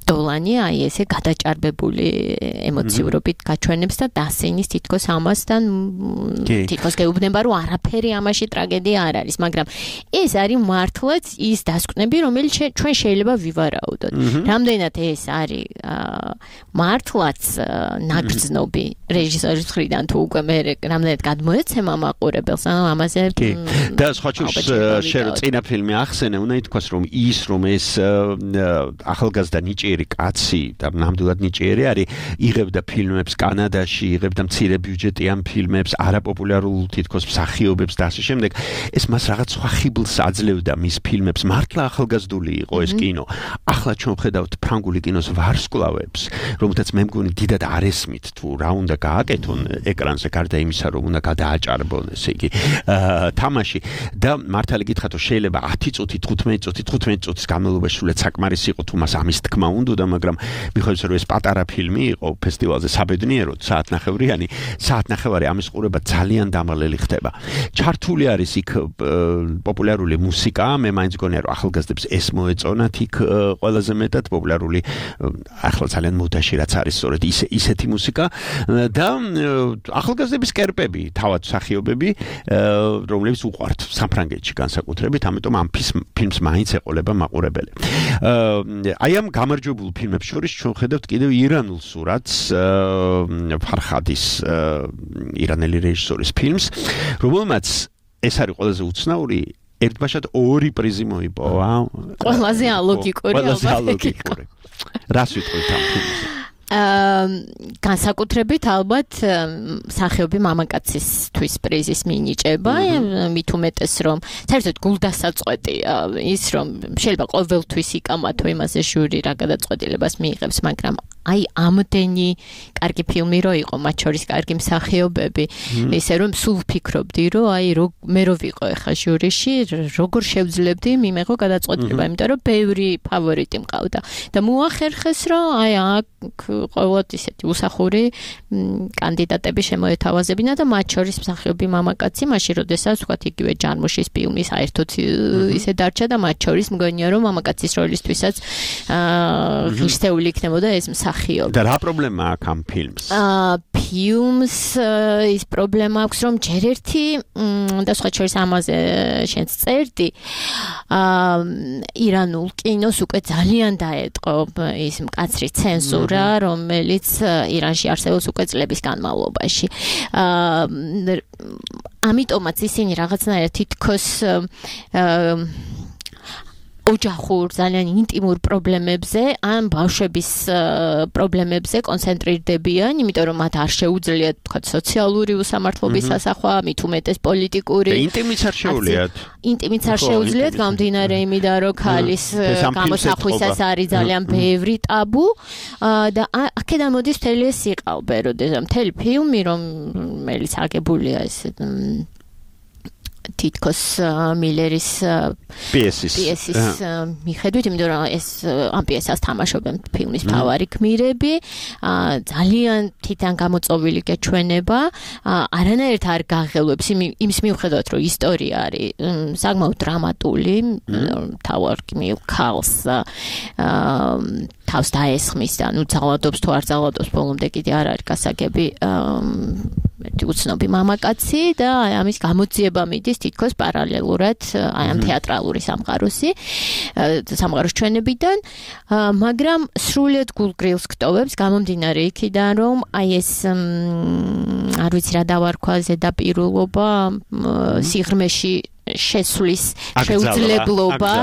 დოლანი აი ესე გადაჭარბებული ემოციურობით გაჩვენებს და დასენის თითქოს ამასთან თითქოს გეუბნება რომ არაფერი ამაში ტრაგედია არ არის, მაგრამ ეს არის მართლაც ის დასკვნები, რომელიც ჩვენ შეიძლება ვივარაუდოთ. რამდენად ეს არის მართლაც ნაგრძნობი რეჟისორის მხრიდან თუ უკვე მე რამდენად გადმოეცემა მაყურებელს, ამაზე და სხვა შორის შენ წინა ფილმი ახსენე, უნდა ითქვას, რომ ის რომ ეს ახალგაზრდა ნიჭიერი კაცი და ნამდვილად ნიჭიერი არის, იღებდა ფილმებს კანადაში, იღებდა მცირე ბიუჯეტიან ფილმებს, არაპოპულარულ თითქოს მსახიობებს და ასე შემდეგ. ეს მას რაღაც სხვა ხიბლს აძლევდა მის ფილმებს. მართლა ახალგაზრდული იყო ეს კინო. ახლა ჩვენ ვხედავთ ფრანგული კინოს ვარსკვლავებს, რომელთაც მე მგონი დიდად არ ესმით თუ რა უნდა გააკეთონ ეკრანზე, გარდა იმისა, რომ უნდა გადააჭარბონ, ესე იგი, თამაში. და მართალი გითხრათ, რომ შეიძლება 10 წუთი, 15 წუთის განმავლობაში სულაც საკმარისი იყო თუ მას ამის თქმა უნდა, მაგრამ მიხედვით რომ ეს პატარა ფილმი იყო ფესტივალზე საბედნიეროდ, საათნახევრიანი, საათნახევარი ამის ყურება ძალიან დამალელი ხდება. ჩართული არის იქ პოპულარული მუსიკა, მე მაინც გონია რომ ახალგაზრდებს ეს მოეწონათ იქ ყველაზე მეტად პოპულარული, ახლა ძალიან მოდაში რაც არის სწორედ ისეთი მუსიკა და ახალგაზრდების კერპები, თავად მსახიობები, რომლებიც უყვართ საფრანგეთში განსაკუთრებით, ამიტომ ამ ფილმს მაინც ეყოლება მაყურებელი. აი ამ გამარჯვებულ ფილმებს შორის ჩვენ ხედავთ კიდევ ირანულ სურათს, ფარხადის ირანელი რეჟისორის ფილმს, რომელმაც ეს არის ყველაზე უცნაური, ერთბაშად 2 პრიზი მოიპოვა. ყველაზე ალოგიკური. რას ვიტყვით ამ ფილმზე? განსაკუთრებით ალბათ სახეობი მამაკაცისთვის პრიზის მინიჭება, მით უმეტეს რომ საერთოდ გულდასაწყვეტი ის რომ შეიძლება ყოველთვის იკამათო იმაზე ჟური რა გადაწყვეტილებას მიიღებს, მაგრამ აი ამდენი კარგი ფილმი რო იყო, მათ შორის კარგი მსახიობები, ისე რომ სულ ვფიქრობდი, რომ აი მე რო ვიყო ახლა ჟურიში, როგორ შევძლებდი მიმეღო გადაწყვეტილება, იმიტომ რომ ბევრი ფავორიტი მყავდა და მოახერხეს, რომ აი აქ ყოველთ ისეთი უსახური კანდიდატები შემოეთავაზებინა და მათ შორის მსახიობი მამაკაცი, მაშინ როდესაც ვთქვათ იგივე ჯანმოშის ფილმი საერთოდ ისე დარჩა და მათ შორის მგონია რომ მამაკაცის როლისთვისაც ღირსეული იქნებოდა ეს მსახიობი. და რა პრობლემა აქვს ამ ფილმს? ფილმს ის პრობლემა აქვს, რომ ჯერ ერთი და სხვა შორის ამაზე შენც წერდი, ირანულ კინოს უკვე ძალიან დაეტყო ის მკაცრი ცენზურა, რომელიც ირანში არსებობს უკვე წლების განმავლობაში. ამიტომაც ისინი რაღაცნაირად თითქოს ოჯახურ, ძალიან ინტიმურ პრობლემებზე, ან ბავშვების პრობლემებზე კონცენტრირდებიან, იმიტომ რომ მათ არ შეუძლიათ, თქვათ, სოციალური უსამართლობის ასახვა, მით უმეტეს პოლიტიკური. ინტიმიც არ შეუძლიათ. ინტიმიც არ შეუძლიათ, გამდინარე იმიდან, რომ ქალის გამოსახვისას არის ძალიან ბევრი ტაბუ და აქედან მოდის მთელი ეს სიყალბე, როდესაც მთელი ფილმი, რომელიც აგებულია ეს თითქოს მილერის პიესის მიხედვით, იმიტომ რომ ეს ამ პიესას თამაშობენ ფილმის მთავარი გმირები, ძალიან თითან გამოწოვილი გეჩვენება, არანაირად არ გაღელვებს იმის მიუხედავად, რომ ისტორია არის საკმაოდ დრამატული, მთავარ გმირ ქალს თავს დაესხმის და ძალადობს თუ არ ძალადობს, ბოლომდე კიდე არ არის გასაგები უცნობი მამაკაცი და ამის გამოძიება მიდის თითქოს პარალელურად აი ამ თეატრალური სამყაროს ჩვენებიდან, მაგრამ სრულიად გულგრილს გტოვებს გამომდინარე იქიდან, რომ აი ეს არ ვიცი რა დავარქვა ზედაპირულობა სიღრმეში შესვლის შეუძლებლობა,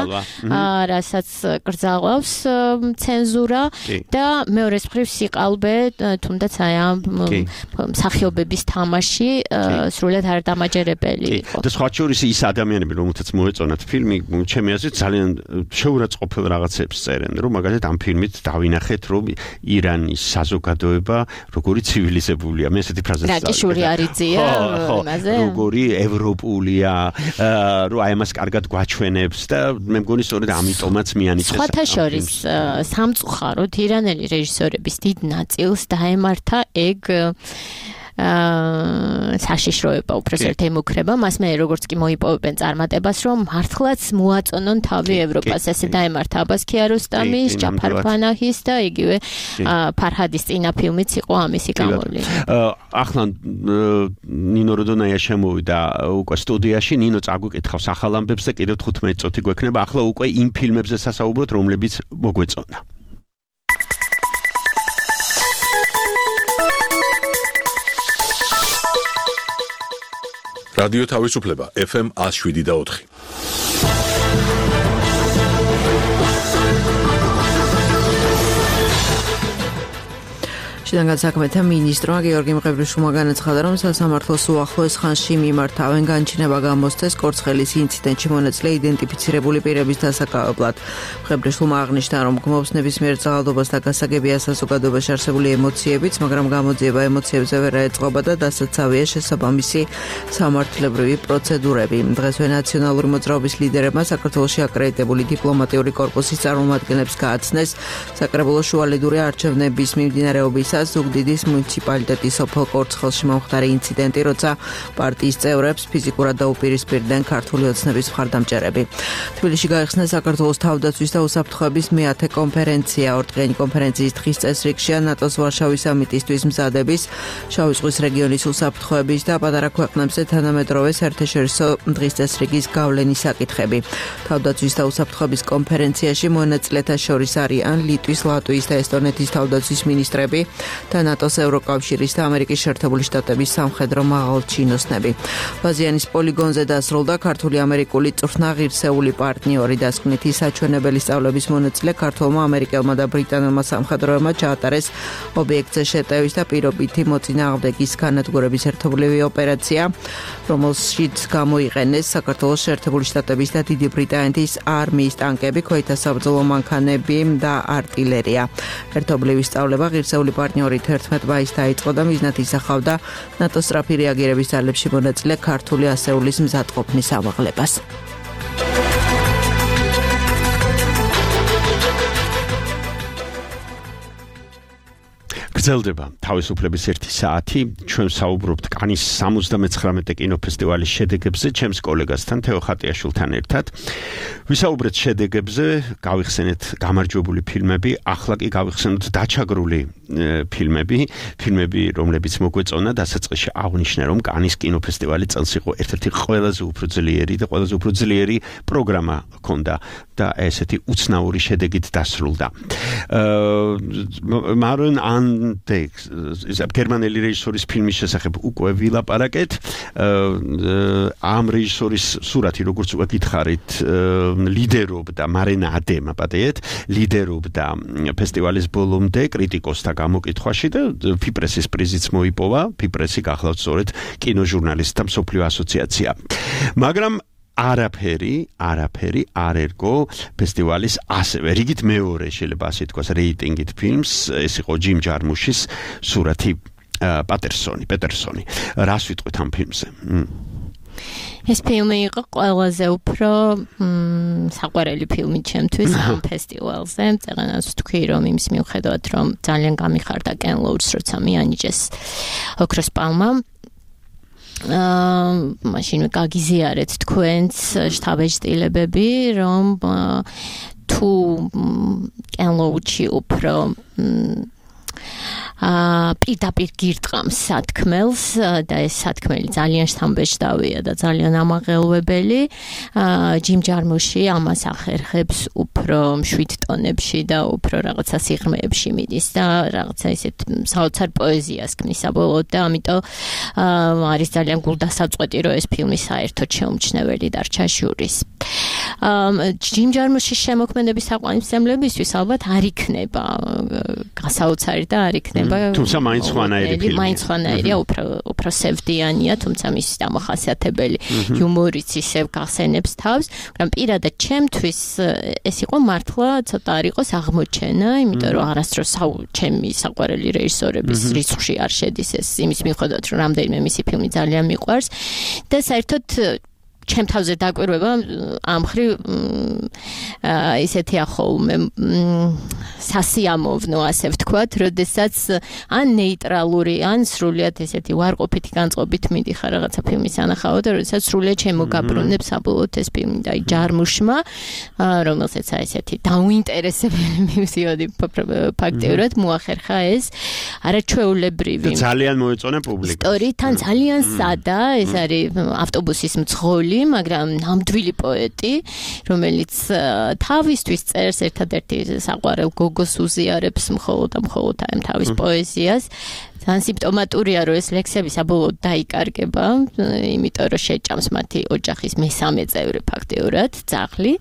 რასაც კრძალავს ცენზურა და მეორეს მხრივ სიყალბე, თუნდაც აი ამ მსახიობების თამაში სრულად არ დამაჯერებელი იყო. და სხვა შორის ის ადამიანები, რომელთაც მოეწონათ ფილმი, ჩემი აზრით ძალიან შეურაცხყოფელ რაღაცებს წერენ, რომ მაგალითად ამ φιλმით დავინახეთ, რომ ირანის საზოგადოება როგორი ცივილიზებულია. მე ესეთი ფრაზა რაკიშური არიძია იმაზე. როგორი ევროპულია, რომ აი ამას კარგად გვაჩვენებს და მე მგონი სწორედ ამიტომაც მიანიჭეს. სხვათა შორის სამწუხაროდ ირანელი რეჟისორების დიდ ნაწილს დაემართა ეგ საშიშროება უბრალოდ ემუქრება მას მე როგორც კი მოიპოვებენ წარმატებას რომ მართლაც მოაწონონ თავი ევროპას ესე დაემართა აბას ქიაროსტამის ჯაფარ ფანაჰის და იგივე ფარჰადის წინა ფილმიც იყო ამისი გამოვლენა ახლა ნინო როდონაია შემოვიდა უკვე სტუდიაში ნინო წაგვიკითხავს ახალ ამბებს და კიდევ 15 წუთი გვექნება ახლა უკვე იმ ფილმებზე სასაუბროთ რომლებიც მოგვეწონა რადიო თავისუფლება FM 107.4 შინაგან საქმეთა მინისტრმა გიორგი მყევრიშვილმა განაცხადა, რომ სასამართლოს უახლოეს ხანში მიმართავენ განჩინება გამოსცეს კორცხელის ინციდენტში მონაწილე იდენტიფიცირებული პირების დასაკავებლად. მყევრიშვილმა აღნიშნა, რომ გმობს ნებისმიერ ძალადობას და გასაგებია საზოგადოებაში არსებული ემოციებიც, მაგრამ გამოძიება ემოციებზე ვერ აეწყობა და დასაცავია შესაბამისი სამართლებრივი პროცედურები. დღესვე ნაციონალური მოძრაობის ლიდერებმა საქართველოში აკრედიტებული დიპლომატიური კორპუსის წარმომადგენლებს გააცნეს საკრებულო შუალედური არჩევნების მიმდინარეობისას ზუგდიდის მუნიციპალიტეტის სოფელ კორცხელში მომხდარი ინციდენტი, როცა პარტიის წევრებს ფიზიკურად დაუპირისპირდნენ ქართული ოცნების მხარდამჭერები. თბილისში გაიხსნა საქართველოს თავდაცვის და უსაფრთხოების მეათე კონფერენცია. ორდღიანი კონფერენციის დღის წესრიგშია ნატოს ვარშავის სამიტისთვის მზადების, შავი ზღვის რეგიონის უსაფრთხოების და პატარა ქვეყნებზე თანამედროვე საერთაშორისო დღის წესრიგის გავლენის საკითხები. თავდაცვის და უსაფრთხოების კონფერენციაში მონაწილეთა შორის არიან ლიტვის, ლატვიის და ესტონეთის თავდაცვის მინისტრები და ნატოს ევროკავშირის და ამერიკის შეერთებული შტატების სამხედრო მაღალჩინოსნები. ბაზიანის პოლიგონზე დასრულდა ქართული ამერიკული წვრთნა ღირსეული პარტნიორი დასკვნითი საჩვენებელი სწავლების მონაწილე ქართველმა ამერიკელმა და ბრიტანელმა სამხედროებმა ჩაატარეს ობიექტზე შეტევის და პირობითი მოწინააღმდეგის განადგურების ერთობლივი ოპერაცია, რომელშიც გამოიყენეს საქართველოს შეერთებული შტატების და დიდი ბრიტანეთის არმიის ტანკები, ქვეითთა საბრძოლო მანქანები და არტილერია. ერთობლივი სწავლება ღირსეული პარტნიორი 11 მაისს დაიწყო და მიზნად ისახავდა ნატოს სწრაფი რეაგირების ძალებში მონაწილე ქართული ასეულის მზადყოფნის ამაღლებას. გრძელდება თავისუფლების 1 საათი. ჩვენ საუბრობთ კანის 79 კინოფესტივალის შედეგებზე ჩემს კოლეგასთან თეო ხატიაშვილთან ერთად. ვისაუბრეთ შედეგებზე, გავიხსენეთ გამარჯვებული ფილმები, ახლა კი გავიხსენოთ დაჩაგრული ფილმები, რომლებიც მოგვეწონა დასაწყისში აღნიშნე, რომ კანის კინოფესტივალი წელს იყო ერთ-ერთი ყველაზე უფრო ძლიერი პროგრამა ჰქონდა და ესეთი უცნაური შედეგით დასრულდა. მარონ გერმანელი რეჟისორის ფილმის შესახებ უკვე ვილაპარაკეთ. ამ რეჟისორის სურათი, როგორც უკვე გითხარით, ლიდერობდა მარენა ადემა, პატიეთ, ლიდერობდა ფესტივალის ბოლომდე კრიტიკოსთა გამოკითხვაში და ფიპრესის პრიზიც მოიპოვა. ფიპრესი გახლავთ სწორედ კინოჟურნალისტთა მსოფლიო ასოციაცია. მაგრამ არაფერი არ ერგო ფესტივალის ასევე რიგით მეორე შეიძლება ასე თქვას რეიტინგით ფილმს, ეს იყო ჯიმ ჯარმუშის სურათი პეტერსონი. რას ვიტყვით ამ ფილმზე? ეს ფილმი იყო ყველაზე უფრო საყვარელი ფილმი ჩემთვის ამ ფესტივალზე. წეგანას ვთქვი, რომ იმის მიუხედავად, რომ ძალიან გამიხარდა კენ ლოუჩს, როცა მიანიჭეს ოქროს პალმა. მაშინ გაგიზიარეთ თქვენს შტაბ-ეჭდილებები, რომ თუ კენ ლოუჩი უფრო პირდაპირ გირტყამს სათქმელს და ეს სათქმელი ძალიან შთამბეჭდავია და ძალიან ამაღელვებელი. ჯიმ-ჯარმუში ამას ახერხებს უფრო მშვიდ ტონებში და უფრო რაღაცა სიღრმეებში მიდის და რაღაცა ისეთ საოცარ პოეზიას ქმნის საბოლოოდ და ამიტომ არის ძალიან გულდასაწყვეტი რომ ეს ფილმი საერთოდ შეუმჩნეველი დარჩა ჟურის. ჯიმ-ჯარმუშის შემოქმედების თაყვანისმცემლებისთვის ალბათ არ იქნება გასაოცარი და არ იქნება თუმცა მაინც ხვანაირი ფილმია. მაინც ხვანაირია, უფრო სევდიანია, თუმცა მის დამახასიათებელი იუმორიც ისევ გახსენებს თავს, მაგრამ პირადად ჩემთვის ეს იყო მართლა ცოტა არ იყოს აღმოჩენა, იმიტომ რომ არასდროს ჩემი საყვარელი რეჟისორების რიცხვში არ შედის ეს იმის მიუხედავად რომ რამდენიმე მისი ფილმი ძალიან მიყვარს და საერთოდ ჩემ თავზე დაკვირვება ამ ხრივ ისეთი ახოლმე სასიამოვნო ასე ვთქვათ, როდესაც ან ნეიტრალური, ან სრულიად ესეთი ვარყოფითი განწყობით მიდიხარ რაღაცა ფილმის ანახავად და როდესაც სრულიად შემოგაბრუნებს საბოლოოდ ეს ფილმი და ჯარმუშმა, რომელსაც ესეთი დაუინტერესებელი მივდიოდი ფაქტიურად მოახერხა ეს არაჩვეულებრივი ძალიან მოეწონა პუბლიკას. ისტორიიდან ძალიან სადა, ეს არის ავტობუსის მძღოლი, მაგრამ ნამდვილი პოეტი, რომელიც თავისთვის წერს ერთადერთი საყვარელ გოგოს უზიარებს მხოლოდ ამ თავის პოეზიას. ძალიან სიმპტომატურია, რომ ეს ლექსები საბოლოოდ დაიკარგება, იმიტომ რომ შეჭამს მათი ოჯახის მესამე წევრი ფაქტიურად, ძაღლი.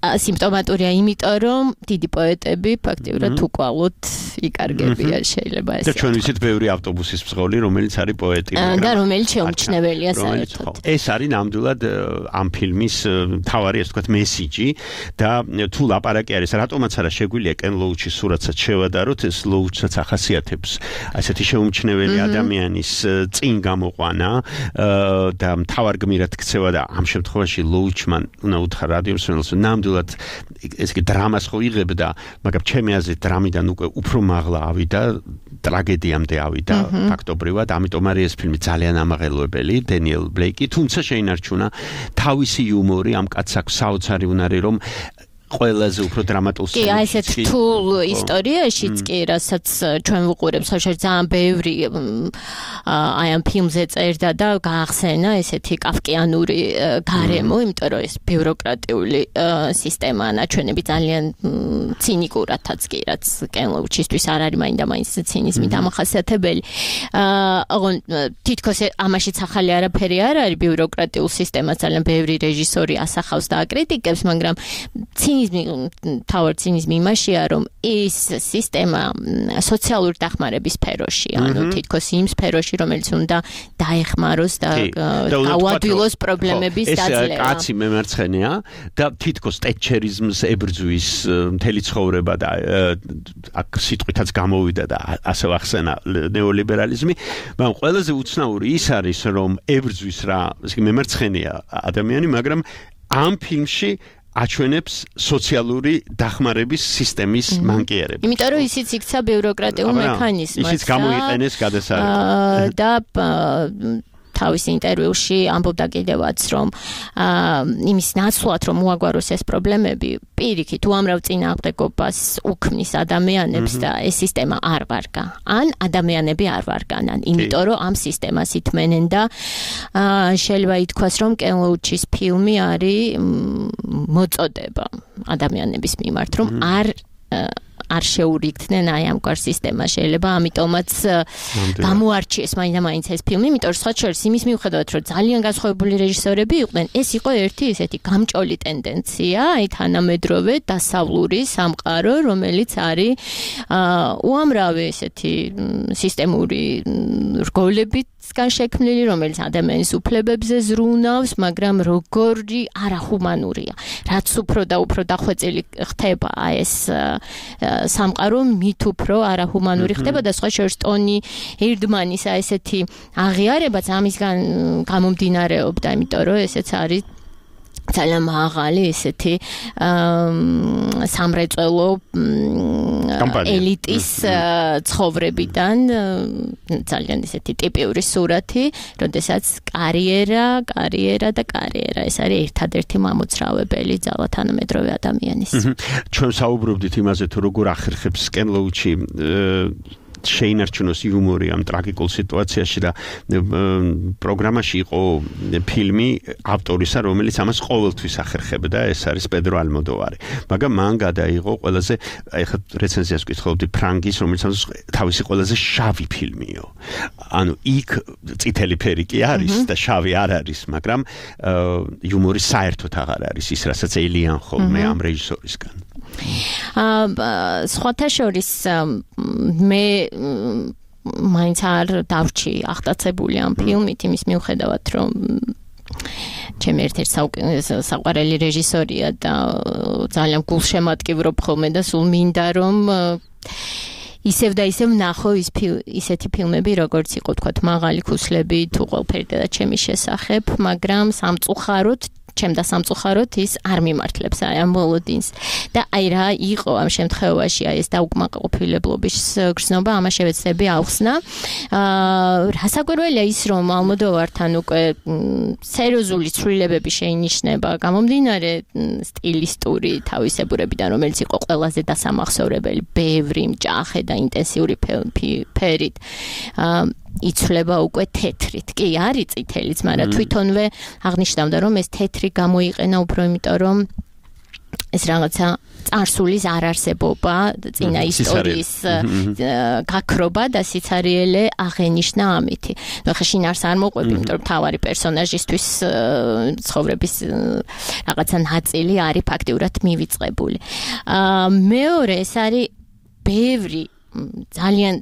სიმპტომატურია, იმიტომ რომ დიდი პოეტები ფაქტიურად უკვალოდ იკარგებიან შეიძლება ესე. და ჩვენ ვიცით ბევრი ავტობუსის მძღოლი, რომელიც არის პოეტი, და რომელიც შეუმჩნეველია საერთოდ. ეს არის ნამდვილად ამ ფილმის მთავარი, ასე ვთქვათ, მესიჯი და თუ ლაპარაკი არის, რატომაც არა შეგვიძლია კენ ლოუჩის სურათსაც შევადაროთ, ეს ლოუჩსაც ახასიათებს ასეთი შეუმჩნეველი ადამიანის წინ გამოყვანა და მთავარ გმირად ქცევა და ამ შემთხვევაში ლოუჩმან უნდა უთხრა რადიო მსმენელს ნამდვილად ეს კი დრამას ხო იღებდა, მაგრამ ჩემი აზრით დრამიდან უკვე უფრო მაღლა ავიდა, ტრაგედიამდე ავიდა ფაქტობრივად, ამიტომ არის ეს ფილმი ძალიან ამაღელვებელი, დენიელ ბლეიკი, თუმცა შეინარჩუნა თავისი იუმორი, ამ კაცს აქვს საოცარი უნარი, რომ ყველაზე უფრო დრამატულ კი, აი ესეთ რთულ ისტორიაშიც კი, რასაც ჩვენ ვუყურებთ, საერთოდ ძალიან ბევრი აი ამ ფილმზე წერდა და გაახსენა ესეთი კაფკიანური გარემო, იმიტომ რომ ეს ბიუროკრატიული სისტემა ნაჩვენები ძალიან ცინიკურადაც კი, რაც კენ ლოუჩისთვის არ არის მაინდა-მაინც ცინიზმი დამახასიათებელი. თითქოს ამაშიც ახალი არაფერი არ არის, ბიუროკრატიულ სისტემას ძალიან ბევრი რეჟისორი ასახავს და აკრიტიკებს, მაგრამ თავარ ცინიზმი იმაშია, რომ ეს სისტემა სოციალური დახმარების სფეროშია, ანუ თითქოს იმ სფეროში, რომელიც უნდა დაეხმაროს და გაუადვილოს პრობლემების დაძლევა. ეს კაცი მემარცხენეა და თითქოს ტეტჩერიზმს ებრძვის მთელი ცხოვრება და აქ სიტყვითაც გამოვიდა და ასე ახსენა ნეოლიბერალიზმი, მაგრამ ყველაზე უცნაური ის არის, რომ ებრძვის რა, ესე იგი მემარცხენეა ადამიანი, მაგრამ ამ ფილმში აჩვენებს სოციალური დახმარების სისტემის მანკიერებას. იმიტომ რომ ისიც იქცა ბიუროკრატიულ მექანიზმად. ისიც გამოიყენეს გადასარევად. და თავის ინტერვიუში ამბობდა კიდევაც, რომ იმის ნაცვლად, რომ მოაგვაროს ეს პრობლემები, პირიქით უამრავ წინააღმდეგობას უქმნის ადამიანებს და ეს სისტემა არ ვარგა. ან ადამიანები არ ვარგანან, იმიტომ რომ ამ სისტემას ითმენენ და შეიძლება ითქვას, რომ კენ ლოუჩის ფილმი არის მოწოდება ადამიანების მიმართ, რომ არ შეურიგდნენ აი ამ კარ სისტემას შეიძლება ამიტომაც გამოარჩიეს მაინდა-მაინც ეს ფილმი, იმიტომ რომ სხვა შორის იმის მიუხედავად რომ ძალიან განსხვავებული რეჟისორები იყვნენ, ეს იყო ერთი ესეთი გამჭოლი ტენდენცია, აი თანამედროვე დასავლური სამყარო, რომელიც არის უამრავი ესეთი სისტემური რგოლებით შექმნილი, რომელიც ადამიანის უფლებებზე ზრუნავს, მაგრამ როგორი არახუმანურია. რაც უფრო და უფრო დახვეწილი ხდება ეს სამყარო, მით უფრო არახუმანური ხდება და სხვა შორის ტონი ერდმანის ესეთი აღიარებაც ამისგან გამომდინარეობდა, იმიტომ რომ ესეც არის ძალიან მაღალი ესეთი სამრეწველო ელიტის ცხოვრებიდან ძალიან ისეთი ტიპიური სურათი, როდესაც კარიერა და კარიერა ეს არის ერთადერთი მამოძრავებელი ძალა თანამედროვე ადამიანის. ჩვენ საუბრობდით იმაზე თუ როგორ ახერხებს სკენლოუჩი შეინარჩუნოს იუმორი ამ ტრაგიკულ სიტუაციაში და პროგრამაში იყო ფილმი ავტორისა, რომელიც ამას ყოველთვის ახერხებდა, ეს არის პედრო ალმოდოვარი. მაგრამ მან გადაიღო ყველაზე, ეხლა რეცენზიას ვკითხულობდი ფრანგის, რომელიც თავისი ყველაზე შავი ფილმიო. ანუ იქ წითელი ფერი კი არის და შავი არ არის, მაგრამ იუმორი საერთოდ აღარ არის ის, რასაც ელიან ხოლმე ამ რეჟისორისგან. სხვათა შორის მე მაინც არ დავრჩი აღტაცებული ამ ფილმით იმის მიუხედავად რომ ჩემი ერთ-ერთი საყვარელი რეჟისორია და ძალიან გულშემატკივრობ ხოლმე და სულ მინდა რომ ისევ და ისევ ნახო ისეთი ფილმები როგორც იყო თქვათ მაღალი ქუსლები თუ ყველაფერი და ჩემი შესახებ მაგრამ სამწუხაროდ ჩემ და სამწუხაროდ ის არ მიმართლებს აი ამ მოლოდინს და აი რა იყო ამ შემთხვევაში აი ეს დაუკმაყოფილებლობის გრძნობა ამას შევეცდები ავხსნა რასაკვირველია ის რომ ალმოდოვართან უკვე სერიოზული ცვლილებები შეინიშნება გამომდინარე სტილისტური თავისებურებიდან რომელიც იყო ყველაზე დასამახსოვრებელი ბევრი მჭახე და ინტენსიური ფერით იცვლება უკვე თეთრით. კი, არის წითელიც, მაგრამ თვითონვე აღნიშნავდა, რომ ეს თეთრი გამოიყენა უფრო იმიტომ, რომ ეს რაღაცა წარსულის არარსებობა, წინა ისტორიის გაქრობა და სიცარიელე აღენიშნა ამითი. ნუ ხა შინაარს არ მოყვები, იმიტომ რომ თავარი პერსონაჟისთვის ცხოვრების რაღაცა ნაწილი არის ფაქტიურად მივიწყებული. მეორე ეს არის ბევრი ძალიან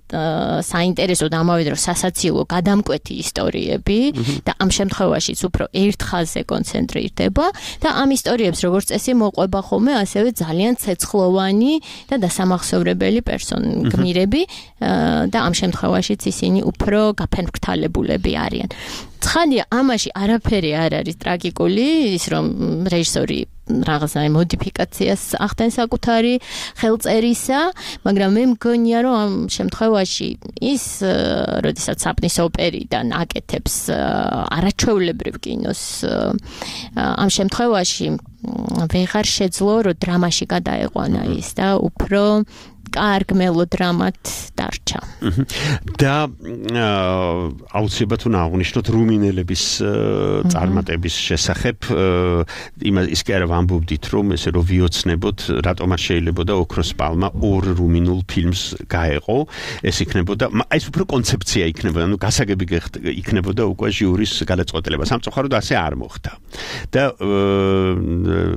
საინტერესო და ამავე დროს სასაცილო გადამკვეთი ისტორიები და ამ შემთხვევაშიც უფრო ერთ ხაზზე კონცენტრირდება და ამ ისტორიებს როგორც წესი მოყვება ხოლმე ასევე ძალიან ცეცხლოვანი და დასამახსოვრებელი გმირები და ამ შემთხვევაშიც ისინი უფრო გაფერმკრთალებულები არიან. ცხადია, ამაში არაფერი არ არის ტრაგიკული, ის რომ რეჟისორი რაღაცა მოდიფიკაციას ახდენს საკუთარი ხელწერისა, მაგრამ მე მგონია, რომ ამ შემთხვევაში ის, როდესაც საპნის ოპერიდან აკეთებს არაჩვეულებრივ კინოს, ამ შემთხვევაში ვეღარ შეძლო, რომ დრამაში გადაეყვანა ის და უფრო კარგ მელოდრამად დარჩა. და აუცილებლად უნდა აღვნიშნოთ რუმინელების წარმატების შესახებ ის კი არა ვამბობდით რომ ესე რომ ვიოცნებოთ რატომ არ შეიძლებოდა ოქროს პალმა ორ რუმინულ ფილმს გაეყო ეს იქნებოდა ეს უფრო კონცეფცია იქნებოდა ანუ გასაგები იქნებოდა უკვე ჟიურის გადაწყვეტილება სამწუხაროდ ასე არ მოხდა და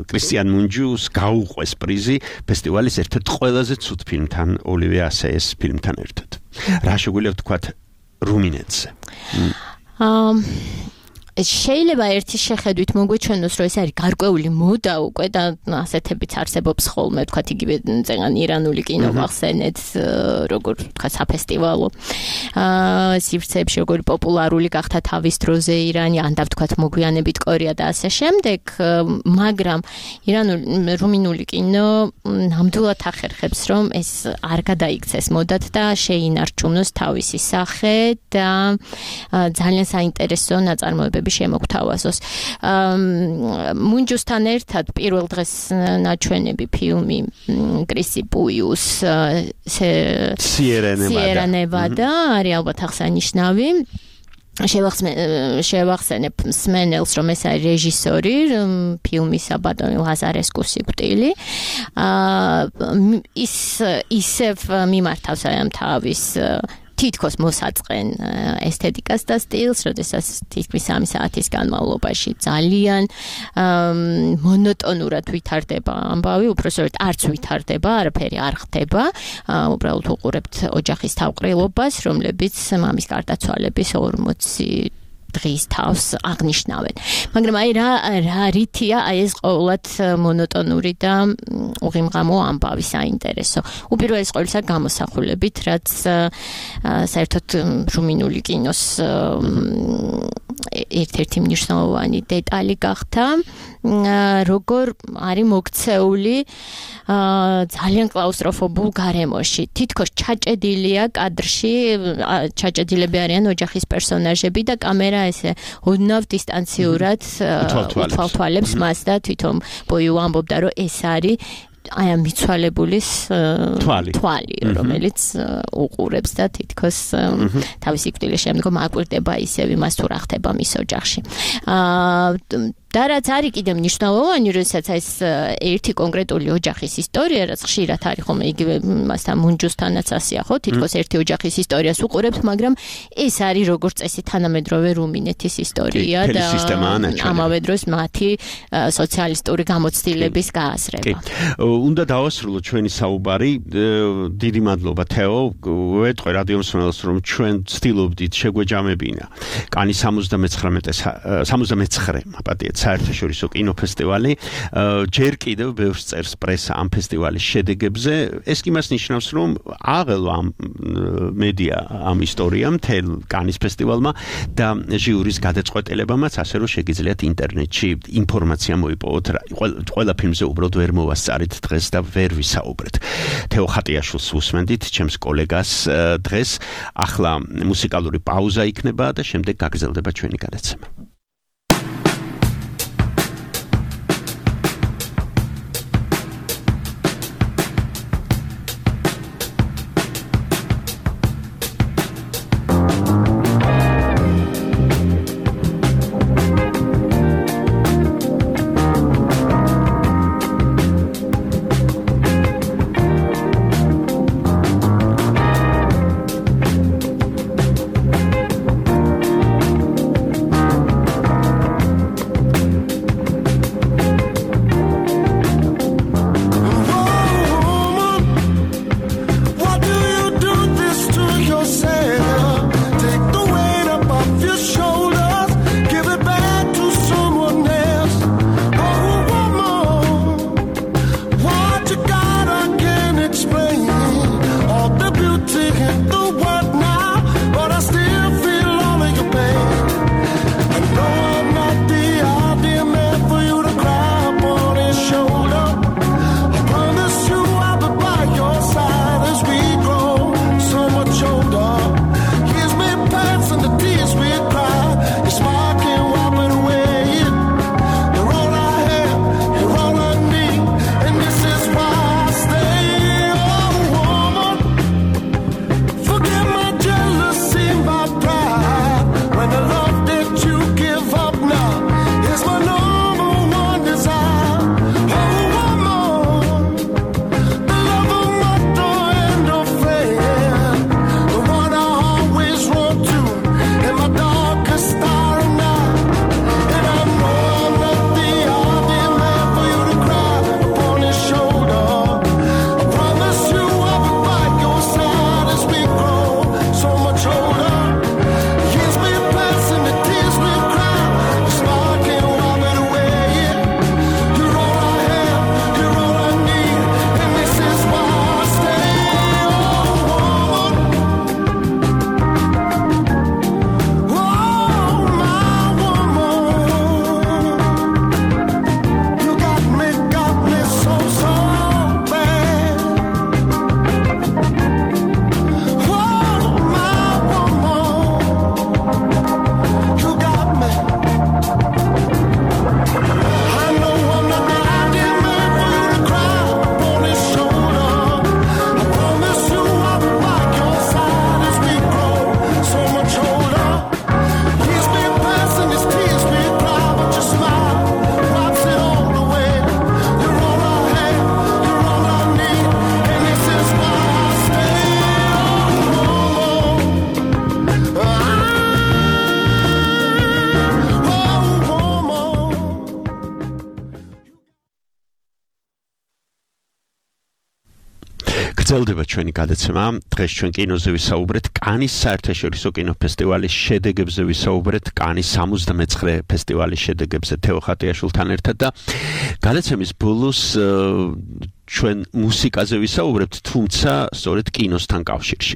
კრისტიან მუნჯუს გაუყვეს პრიზი ფესტივალის ერთ-ერთ ყველაზე ცუდ ფილმთან ოლივე ასეის ფილმთან ერთად. რა შეგვიძლია ვთქვათ რუმინეთზე? შეიძლება ერთი შეხედვით მოგვეჩვენოს, რომ ეს არის გარკვეული მოდა უკვე და ასეთებიც არსებობს ხოლმე, ვთქვათ იგივე წეგან ირანული კინო ვახსენეთ, როგორ ვთქვათ საფესტივალო სივრცეებში როგორ პოპულარული გახდა თავის დროზე ირანი, ან და ვთქვათ მოგვიანებით კორეა და ასე შემდეგ, მაგრამ რუმინული კინო ნამდვილად ახერხებს, რომ ეს არ გადაიქცეს მოდად და შეინარჩუნოს თავისი სახე და ძალიან საინტერესო ნაწარმოებები შემოგთავაზოს. მუნჯუსთან ერთად პირველ დღეს ნაჩვენები ფილმი კრისი პუიუს სიერა ნევადა არის ალბათ აღსანიშნავი. შევახსენებ სმენელს, რომ ეს არის რეჟისორი ფილმისა ბატონი ლაზარესკუს სიკვდილი. ის ისევ მიმართავს ამ თავის თითქოს მოსაწყენ ესთეტიკას და სტილს, როდესაც თითქმის 3 საათის განმავლობაში ძალიან მონოტონურად ვითარდება ამბავი, უბრალოდ არც ვითარდება, არაფერი არ ხდება, უბრალოდ უყურებთ ოჯახის თავყრილობას, რომლებიც მამის გარდაცვალების 40 დღის თავს აღნიშნავენ. მაგრამ აი რა რითია აი ეს ყოველად მონოტონური და უღიმღამო ამბავი საინტერესო. უპირველეს ყოვლისა გამოსახულებით, რაც საერთოდ რუმინული კინოს ერთ-ერთი მნიშვნელოვანი დეტალი გახდა როგორ არის მოქცეული ძალიან კლაუსტროფობულ გარემოში. თითქოს ჩაჭედილია კადრში, ჩაჭედილები არიან ოჯახის პერსონაჟები და კამერა ესე ოდნავ დისტანციურად უთვალთვალებს მას და თვითონ ბოიუ ამბობდა, რომ ეს არის აი ამ მიცვალებულის თვალი, რომელიც უყურებს და თითქოს თავისი კვირტილის შემდგომ აკვირდება ისევ იმას თუ რა ხდება მის ოჯახში. და რაც არის კიდევ მნიშვნელოვანი, როდესაც ეს ერთი კონკრეტული ოჯახის ისტორია, რაც ხშირად არის ხომ იგივე მასთან მუნჯუსთანაც ასეა, ხო? თითქოს ერთი ოჯახის ისტორიას უყურებთ, მაგრამ ეს არის როგორც წესი თანამედროვე რუმინეთის ისტორია და ამავე დროს მათი სოციალისტური გამოცდილების გააზრება. უნდა დავასრულოთ ჩვენი საუბარი. დიდი მადლობა თეო. ვეტყვი რადიო მსმენელს, რომ ჩვენ ვცდილობდით შეგვეჯამებინა კანის 79 აპატიეთ საერთაშორისო კინოფესტივალი. ჯერ კიდევ ბევრს წერს პრესა ამ ფესტივალის შედეგებზე. ეს კი მას ნიშნავს, რომ აღელვა ამ მედია ამ ისტორიამ თელ კანის ფესტივალმა და ჟიურის გადაწყვეტილებამაც, ასე რომ შეგიძლიათ ინტერნეტში ინფორმაცია მოიპოვოთ. ყველა ფილმზე უბრალოდ ვერ მოვასწარით დღეს და ვერ ვისაუბრეთ. თეო ხატიაშვილს უსმენდით, ჩემს კოლეგას დღეს. ახლა მუსიკალური პაუზა იქნება და შემდეგ გაგრძელდება ჩვენი გადაცემა. გრძელდება ჩვენი გადაცემა. დღეს ჩვენ კინოზე ვისაუბრეთ კანის საერთაშორისო კინოფესტივალის შედეგებზე, ვისაუბრეთ კანის 79 ფესტივალის შედეგებზე თეო ხატიაშვილთან ერთად და გადაცემის ბოლოს ჩვენ მუსიკაზე ვისაუბრებთ, თუმცა სწორედ კინოსთან კავშირში.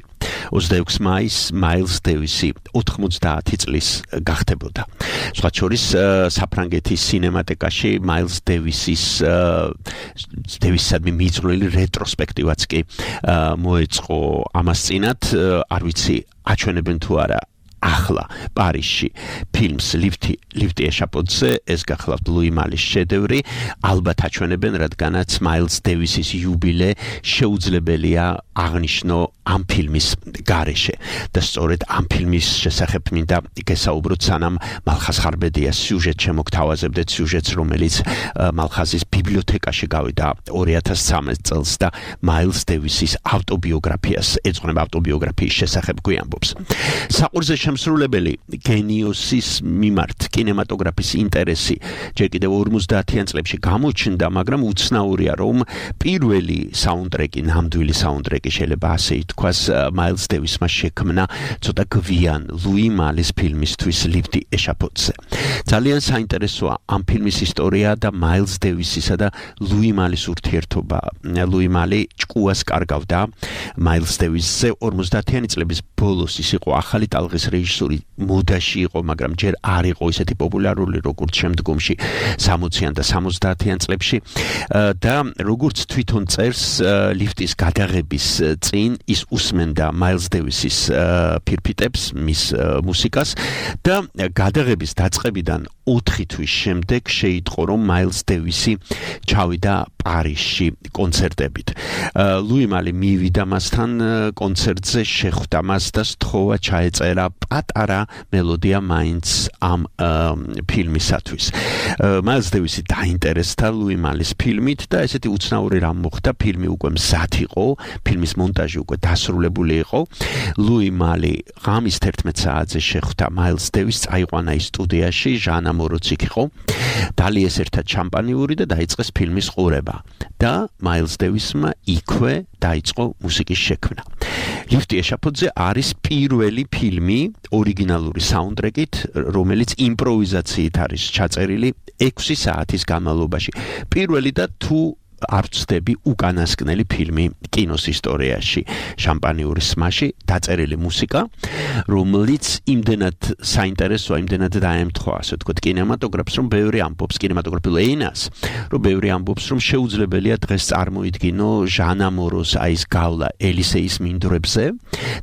26 მაისს მაილს დევისი 90 წლის გახდებოდა. სხვა შორის საფრანგეთის სინემატეკაში მაილს დევისისადმი მიწვრილი რეტროსპექტივაც კი მოეწყო ამას წინათ, არ ვიცი აჩვენებენ თუ არა ახლა პარიზში ფილმს ლიფტი ეშაპოძე, ეს გახლავთ ლუი მალის შედევრი, ალბათ აჩვენებენ, რადგანაც მაილს დევისის იუბილე შეუძლებელია აღნიშნო ამ ფილმის გარეშე და სწორედ ამ ფილმის შესახებ მინდა გესაუბროთ, სანამ მალხაზ ხარბედიას სიუჟეტ შემოგთავაზებდეთ, სიუჟეტს, რომელიც მალხაზის ბიბლიოთეკაში გავიდა 2013 წელს და მაილს დევისის ავტობიოგრაფიას ეძღვნება, ავტობიოგრაფიის შესახებ გვიამბობს. საყურზე შემსრულებელი გენიოსის მიმართ კინემატოგრაფის ინტერესი ჯერ კიდევ 50-იან წლებში გამოჩნდა, მაგრამ უცნაურია, რომ პირველი საუნდტრეკი, ნამდვილი საუნდტრეკი შეიძლება ასე ითქვას, მაილს დევისმა შექმნა ცოტა გვიან ლუი მალის ფილმისთვის ლიფტი ეშაპოძე. ძალიან საინტერესოა ამ ფილმის ისტორია და მაილს დევისისა და ლუი მალის ურთიერთობა. ლუი მალი ჭკუას კარგავდა მაილს დევისზე 50-იანი წლების ბოლოს, ის იყო ახალი ტალღის რეჟისორი, მოდაში იყო, მაგრამ ჯერ არ იყო ისეთი პოპულარული, როგორც შემდგომში 60-იან და 70-იან წლებში და როგორც თვითონ წერს, ლიფტის გადაღების წინ ის უსმენდა მაილს დევისის ფირფიტებს, მის მუსიკას და გადაღების დაწყებიდან 4 თვის შემდეგ შეიტყო, რომ მაილს დევისი ჩავიდა პარიზში კონცერტებით. ლუი მალი მივიდა მასთან კონცერტზე, შეხვდა მას და სთხოვა ჩაეწერა პატარა მელოდია მაინც ამ ფილმისათვის. მაილს დევისი დაინტერესდა ლუი მალის ფილმით და ესეთი უცნაური რამ მოხდა, ფილმი უკვე მზად იყო, ფილმის მონტაჟი უკვე დასრულებული იყო. ლუი მალი ღამის 11 საათზე შეხვდა მაილს დევისს, წაიყვანა ის სტუდიაში, ჟანა მოროც იქ იყო, დალიეს ერთად შამპანიური და დაიწყეს ფილმის ყურება და მაილს დევისმა იქვე დაიწყო მუსიკის შექმნა. ლიფტი ეშაპოძე არის პირველი ფილმი ორიგინალური საუნდტრეკით, რომელიც იმპროვიზაციით არის ჩაწერილი 6 საათის განმავლობაში. პირველი და თუ არ ვცდები უკანასკნელი ფილმი კინოს ისტორიაში, შამპანიურის სმაში დაწერილი მუსიკა, რომელიც იმდენად საინტერესოა, იმდენად დაემთხვა, ასე ვთქვათ, კინემატოგრაფს, რომ ბევრი ამბობს, კინემატოგრაფიულ ენას, რომ ბევრი ამბობს, რომ შეუძლებელია დღეს წარმოიდგინო ჟანა მოროს აი ეს გავლა ელისეის მინდვრებზე,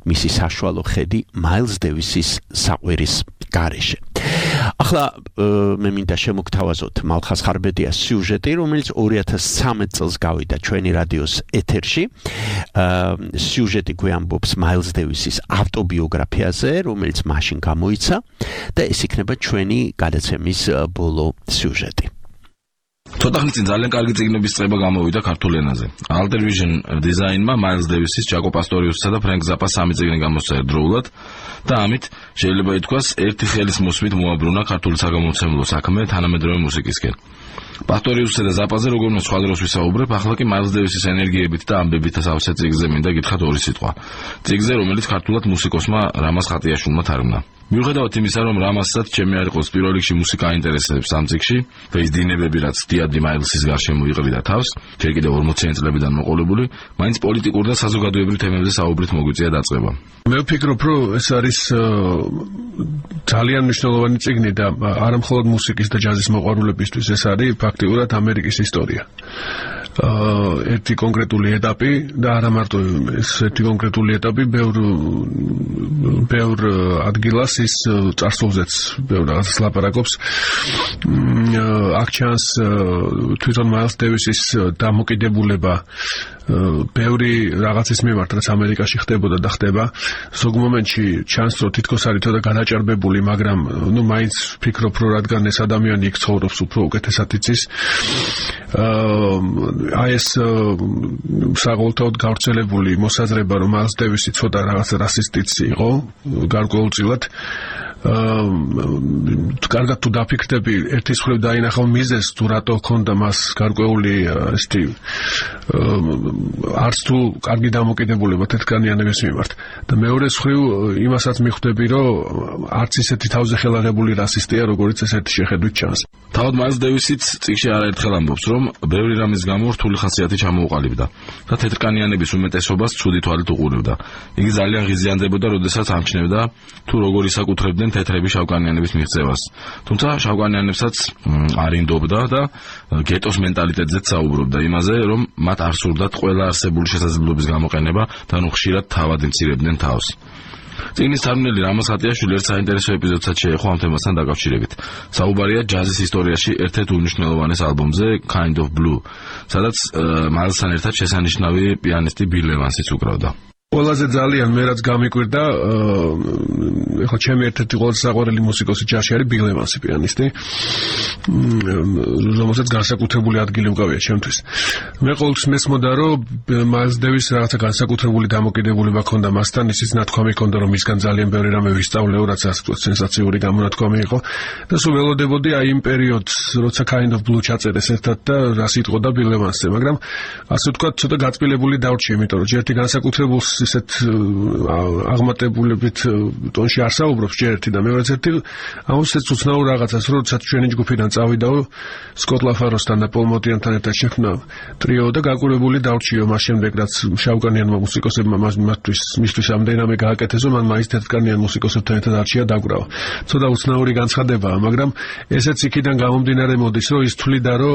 მისი საშუალო ხედი მაილს დევისის საყვირის გარეშე. ახლა მე მინდა შემოგთავაზოთ მალხაზ ხარბედიას სიუჟეტი, რომელიც 2013 წელს გავიდა ჩვენი რადიოს ეთერში. სიუჟეტი გვიამბობს მაილს დევისის ავტობიოგრაფიაზე, რომელიც მაშინ გამოიცა და ეს იქნება ჩვენი გადაცემის ბოლო სიუჟეტი. ცოტა ხნის წინ ძალიან კარგი წიგნების წყება გამოვიდა ქართულ ენაზე. Alter Vision დიზაინმა მაილს დევისის, ჯაკო პასტორიუსისა და ფრენკ ზაპას 3 წიგნი გამოსცა ერთდროულად და ამით შეიძლება ითქვას ერთი ხელის მოსმით მოაბრუნა ქართული საგამომცემლო საქმე თანამედროვე მუსიკისკენ. პასტორიუსსა და ზაპაზე როგორმე სხვა დროს ვისაუბრებ, ახლა კი მაილს დევისის ენერგიებით და ამბებით სავსე წიგნზე მინდა გითხრათ ორი სიტყვა. წიგნზე, რომელიც ქართულად მუსიკოსმა რამაზ ხატიაშვილმა თარგმნა. მიუხედავად იმისა, რომ რამაზსაც ჩემი არ იყოს პირველ რიგში მუსიკა აინტერესებს ამ წიგნში და ის დინებები, რაც დიადი მაილსის გარშემო იყრიდა თავს, ჯერ კიდევ 40-იან წლებიდან მოყოლებული, მაინც პოლიტიკურ და საზოგადოებრივ თემებზე საუბრით მოგვიწია დაწყება. მე ვფიქრობ, რომ ეს არის ძალიან მნიშვნელოვანი წიგნი და არა მხოლოდ მუსიკის და ჯაზის მოყვარულებისთვის, ეს არის ფაქტიურად ამერიკის ისტორია. ერთი კონკრეტული ეტაპი და არა მარტო ეს ერთი კონკრეტული ეტაპი, ბევრ ადგილას ის წარსულზეც ბევრ რაღაცას ლაპარაკობს. აქ ჩანს თვითონ მაილს დევისის დამოკიდებულება ბევრი რაღაცის მიმართ, რაც ამერიკაში ხდებოდა და ხდება. ზოგ მომენტში ჩანს, რომ თითქოს არის თოდა გადაჭარბებული, მაგრამ მაინც ვფიქრობ, რომ რადგან ეს ადამიანი იქ ცხოვრობს, უფრო უკეთესად იცის. აი ეს საყოველთაოდ გავრცელებული მოსაზრება, რომ მაილს დევისი ცოტა რაღაც რასისტიც იყო, გარკვეულწილად კარგად თუ დაფიქრდები, ერთის მხრივ დაინახავ მიზეზს, თუ რატო ჰქონდა მას გარკვეული ესეთი არც თუ კარგი დამოკიდებულება თეთრკანიანების მიმართ. და მეორე მხრივ იმასაც მიხვდები, რომ არც ისეთი თავზე ხელაღებული რასისტია, როგორც ეს ერთი შეხედვით ჩანს. თავად მაილს დევისიც წიგნში არაერთხელ ამბობს, რომ ბევრი რამის გამო რთული ხასიათი ჩამოუყალიბდა და თეთრკანიანების უმეტესობას ცუდი თვალით უყურებდა. იგი ძალიან ღიზიანდებოდა, როდესაც ამჩნევდა თუ როგორ ისაკუთრებდნენ თეთრები შავკანიანების მიღწევას. თუმცა შავკანიანებსაც არ ინდობდა და გეტოს მენტალიტეტზეც საუბრობდა იმაზე, რომ მათ არ სურდათ ყველა არსებული შესაძლებლობის გამოყენება და ნუ ხშირად თავად იმცირებდნენ თავს. წიგნის თარგმნელი რამაზ ხატიაშვილი ერთ საინტერესო ეპიზოდსაც შეეხო ამ თემასთან დაკავშირებით. საუბარია ჯაზის ისტორიაში ერთ-ერთ უმნიშვნელოვანეს ალბომზე Kind of Blue, სადაც მაილსთან ერთად შესანიშნავი პიანისტი ბილ ევანსიც უკრავდა. ყველაზე ძალიან მე რაც გამიკვირდა, ეხლა ჩემი ერთ-ერთი ყველაზე საყვარელი მუსიკოსი ჯაზში არის ბილ ევანსი, პიანისტი, რომელსაც განსაკუთრებული ადგილი უკავია ჩემთვის. მე ყოველთვის მესმოდა, რომ მაილს დევის რაღაცა განსაკუთრებული დამოკიდებულება ჰქონდა მასთან, ისიც ნათქვამი ჰქონდა, რომ მისგან ძალიან ბევრი რამე ვისწავლეო, რაც ასე ვთქვათ, სენსაციური გამონათქვამი იყო და სულ ველოდებოდი აი იმ პერიოდს, როცა Kind of Blue ჩაწერეს ერთად და რა სიტყოდა ბილ ევანსზე, მაგრამ ასე ვთქვათ, ცოტა გაწმილებული დავრჩი, იმიტომ რომ ჯერ ერთი განსაკუთრებულს ისეთ აღმატებულებით ტონში არ საუბრობს ჯერ ერთი და მეორეც ერთი ამოსეც უცნაურ რაღაცას, როდესაც ჩვენი ჯგუფიდან წავიდაო სკოტ ლაფაროსთან და პოლ მოტიანთან ერთად შექმნა ტრიო და გაკვირვებული დავრჩიო მას შემდეგ, რაც შავკანიანმა მუსიკოსებმა მისთვის ამდენამე გააკეთეს, რომ მან მაინც თეთრკანიან მუსიკოსებთან ერთად არჩია დაკვრავა. ცოტა უცნაური განცხადებაა, მაგრამ ესეც იქიდან გამომდინარე მოდის, რომ ის თვლიდა, რომ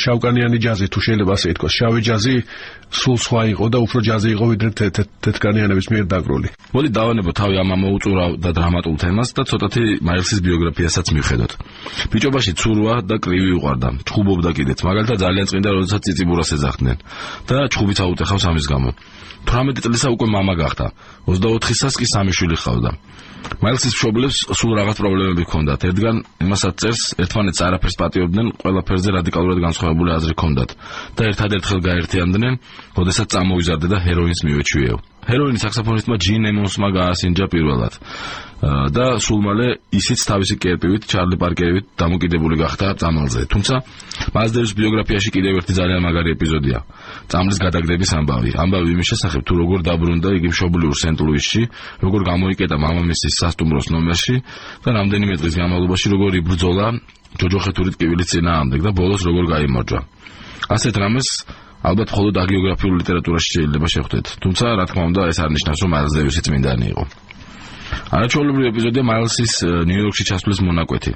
შავკანიანი ჯაზი, თუ შეიძლება ასე ითქვას, შავი ჯაზი სულ სხვა იყო და უფრო ჯაზი იყო ვიდრე თეთრკანიანების მიერ დაკრული. მოდი დავანებო თავი ამ ამოუწურავ და დრამატულ თემას და ცოტათი მაილსის ბიოგრაფიასაც მივხედოთ. ბიჭობაში ცურვა და კრივი უყვარდა, ჩხუბობდა კიდეც, მაგალითად ძალიან წმინდა, როდესაც ციციბურას ეძახდნენ და ჩხუბიც აუტეხავს ამის გამო. 18 წლისა უკვე მამა გახდა, 24-ისას კი 3 შვილი ჰყავდა. მაილსის მშობლებს სულ რაღაც პრობლემები ჰქონდათ. ერთგან იმასაც წერს, ერთმანეთს არაფერს პატიობდნენ, ყველაფერზე რადიკალურად განსხვავებული აზრი ჰქონდათ და ერთადერთხელ გაერთიანდნენ, როდესაც წამოიზარდა და ჰეროინს მივეჩვიეო. ჰეროინი საქსოფონისტმა ჯინ ემონსმა გაასინჯა პირველად და სულ მალე ისიც თავისი კერპივით, ჩარლი პარკერით დამოკიდებული გახდა წამალზე. თუმცა მაილს დევის ბიოგრაფიაში კიდევ ერთი ძალიან მაგარი ეპიზოდია. წამლის გადაგდების ამბავი. ამბავი იმის შესახებ, თუ როგორ დაბრუნდა იგი მშობლიურ სენტ-ლუისში, როგორ გამოიკეტა მამამისის სასტუმროს ნომერში და რამდენიმე დღის განმავლობაში როგორ იბრძოლა ჯოჯოხეთური ტკივილის წინააღმდეგ და ბოლოს როგორ გაიმარჯვა. ასეთ რამეს ალბათ მხოლოდ აგიოგრაფიულ ლიტერატურაში შეიძლება შეხვდეთ. თუმცა, რა თქმა უნდა, ეს არ ნიშნავს, რომ მაილს დევისი წმინდანი იყო. არაჩვეულებრივი ეპიზოდია მაილსის ნიუ-იორკში ჩასვლის მონაკვეთი.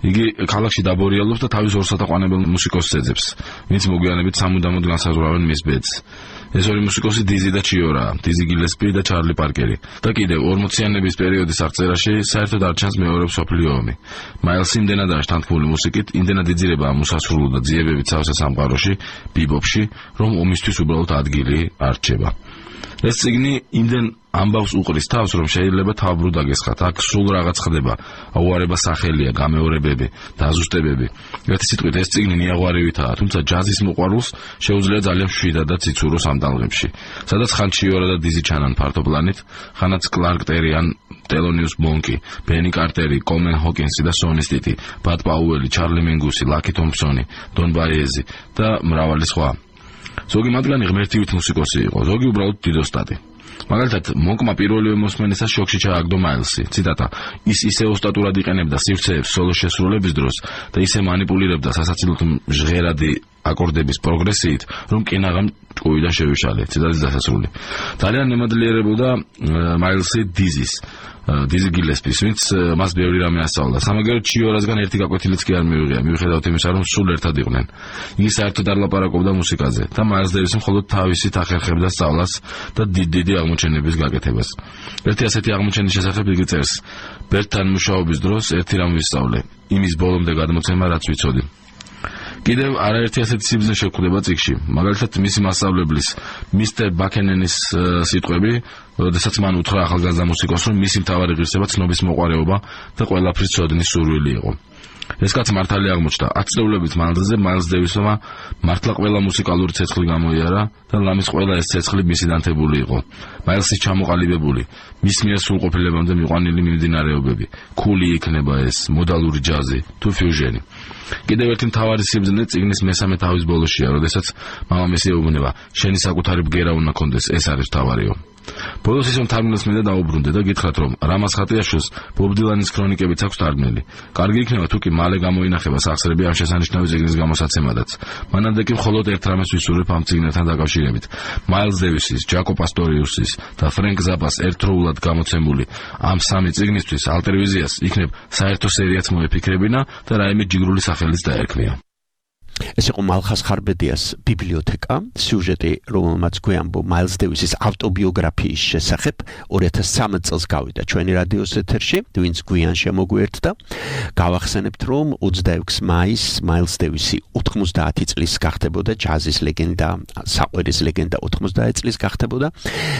იგი ქალაქში დაბორიალობს და თავის ორ სათაყვანებელ მუსიკოსს ეძებს, ვინც მოგვიანებით სამუდამოდ განსაზღვრავენ მის ბედს. ეს ორი მუსიკოსი დიზი და ჩიორაა, დიზი გილესპი და ჩარლი პარკერი. და კიდევ 40-იანების პერიოდის აღწერაში საერთოდ არ ჩანს მეორე მსოფლიო ომი. მაილსი იმდენად არის თანთქმული მუსიკით, იმდენად იძირება ამ უსასრულო და ძიებებით სავსე სამყაროში, ბიბოპში, რომ ომისთვის უბრალოდ ადგილი არ რჩება. ეს წიგნი იმდენ ამბავს უყრის თავს, რომ შეიძლება თავბრუდ აგესხათ. აქ სულ რაღაც ხდება, აუარება სახელია, გამეორებები, დაზუსტებები. ერთი სიტყვით, ეს წიგნი ნიაღვარივითაა, თუმცა ჯაზის მოყვარულს შეუძლია ძალიან მშვიდად და ციცუროს ამ ტალღებში, სადაც ხან ჩიორა და დიზი ჩანან ფართოპლანით, ხანაც კლარკ ტერი ან ტელონიუს მონკი, ბენი კარტერი, კოლმენ ჰოკინსი და სონი სტიტი, ბად პაუელი, ჩარლი მინგუსი, ლაკი თომპსონი, დონ ბაიეზი და მრავალი სხვა. ზოგი მათგანი ღმერთივით მუსიკოსი იყო, ზოგი უბრალოდ დიდოსტატი. მაგალითად, მონკმა პირველივე მოსმენისას შოქში ჩააგდო მაილსი. ციტატა: ის ისე ოსტატურად იყენებდა სივრცეებს სოლოს შესრულების დროს და ისე манипуლირებდა სასაცილოდ ჟღერადი აკორდების პროგრესიით, რომ კინაღამ ჭკუიდან შევიშალე. ციტატის დასასრული. ძალიან ნემადლიერებოდა მაილსი დიზი გილესპის, ვინც მას ბევრი რამე ასწავლა. სამაგეროდ ჩიორასგან ერთი გაკვეთილიც კი არ მივიღია, მიუხედავად იმისა, რომ სულ ერთად იყვნენ. იგი საერთოდ არ ლაპარაკობდა მუსიკაზე და მაილს დევისი მხოლოდ თავისით ახერხებდა სწავლას და დიდი აღმოჩენების გაკეთებას. ერთი ასეთი აღმოჩენის შესახებ იგი წერს: ბერტთან მუშაობის დროს ერთი რამ ვისწავლე, იმის ბოლომდე გადმოცემა, რაც ვიცოდი. კიდევ არაერთი ასეთი სიბრძნე შეგვხვდება წიგნში. მაგალითად, მისი მასწავლებლის მისტერ ბაკენენის სიტყვები, როდესაც მან უთხრა ახალგაზრდა მუსიკოსს, რომ მისი მთავარი ღირსება ცნობის მოყვარეობა და ყველაფრის ცოდნის სურვილი იყო. ეს კაც მართალი აღმოჩნდა. 10 წლეულობით მანძილზე მაილს დევისმა მართლა ყველა მუსიკალური ცეცხლი გამოიარა და ლამის ყველა ეს ცეცხლი მისი დანთებული იყო. მაილსის ჩამოყალიბებული, მის მიერ სრულყოფილებამდე მიყვანილი მიმდინარეობები, ქული იქნება ეს, მოდალური ჯაზი თუ ფიუჟენი. კიდევ ერთი მთავარი სიბრძნე წიგნის მესამე თავის ბოლოშია, როდესაც მამამისი ეუბნება: შენი საკუთარი ბგერა უნდა კონდეს, ეს არის მთავარიო. ბოლოს ისევ თარგმნელს მინდა დაუბრუნდე და გითხრათ, რომ რამაზ ხატიაშვილს ბობ დილანის ქრონიკებიც აქვს თარგმნელი. კარგი იქნება თუ კი მალე გამოინახება სახსრები ამ შესანიშნავი წიგნის გამოსაცემადაც. მანამდე კი მხოლოდ ერთ რამეს ვისურვებ ამ წიგნებთან დაკავშირებით. მაილს დევისის, ჯაკო პასტორიუსის და ფრენკ ზაპას ერთდროულად გამოცემული ამ სამი წიგნისთვის ალტერვიზიას იქნებ საერთო სერიაც მოეფიქრებინა და რაიმე ჯიგრული სახელიც დაერქმია. ეს იყო მალხას ხარბედიას ბიბლიოთეკა, სიუჟეტი, რომელმაც გვეამბო მაილს დევისის ავტობიოგრაფიის შესახებ 2013 წელს გავიდა ჩვენი რადიოს ეთერში, ვინც გვიან შემოგვიერთდა. გავახსენებთ, რომ 26 მაისს მაილს დევისი 90 წლის გახდებოდა, ჯაზის ლეგენდა, საყვირის ლეგენდა 90 წლის გახდებოდა.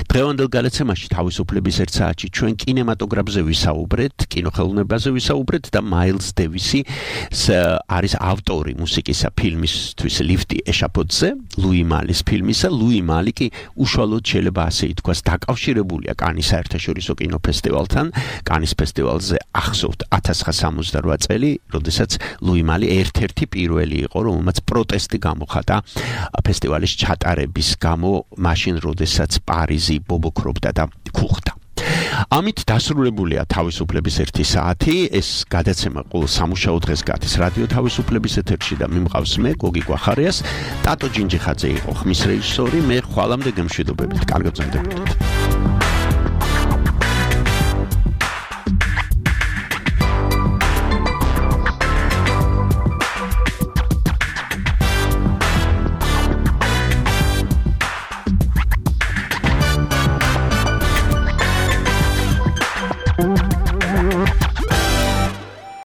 დღევანდელ გადაცემაში თავისუფლების ერთ საათში ჩვენ კინემატოგრაფზე ვისაუბრეთ, კინოხელოვნებაზე ვისაუბრეთ და მაილს დევისი არის ავტორი მუსიკისა ფილმისთვის ლიფტი ეშაფოთზე, ლუი მალის ფილმისა. ლუი მალი კი უშუალოდ შეიძლება ასე ითქვას დაკავშირებულია კანის საერთაშორისო კინოფესტივალთან. კანის ფესტივალზე ახსოვთ 1968 წელი, როდესაც ლუი მალი ერთ-ერთი პირველი იყო, რომელმაც პროტესტი გამოხატა ფესტივალის ჩატარების გამო, მაშინ როდესაც პარიზი ბობოქრობდა და ქუხდა. ამით დასრულებულია თავისუფლების ერთი საათი. ეს გადაცემა ყოველ სამუშაო დღეს გადის რადიო თავისუფლების ეთერში და მიმყავს მე გოგი კვახარიას. ტატო ჯინჯიხაძე იყო ხმის რეჟისორი. მე ხვალამდე გემშვიდობებით. კარგად გრძელდებოდეთ.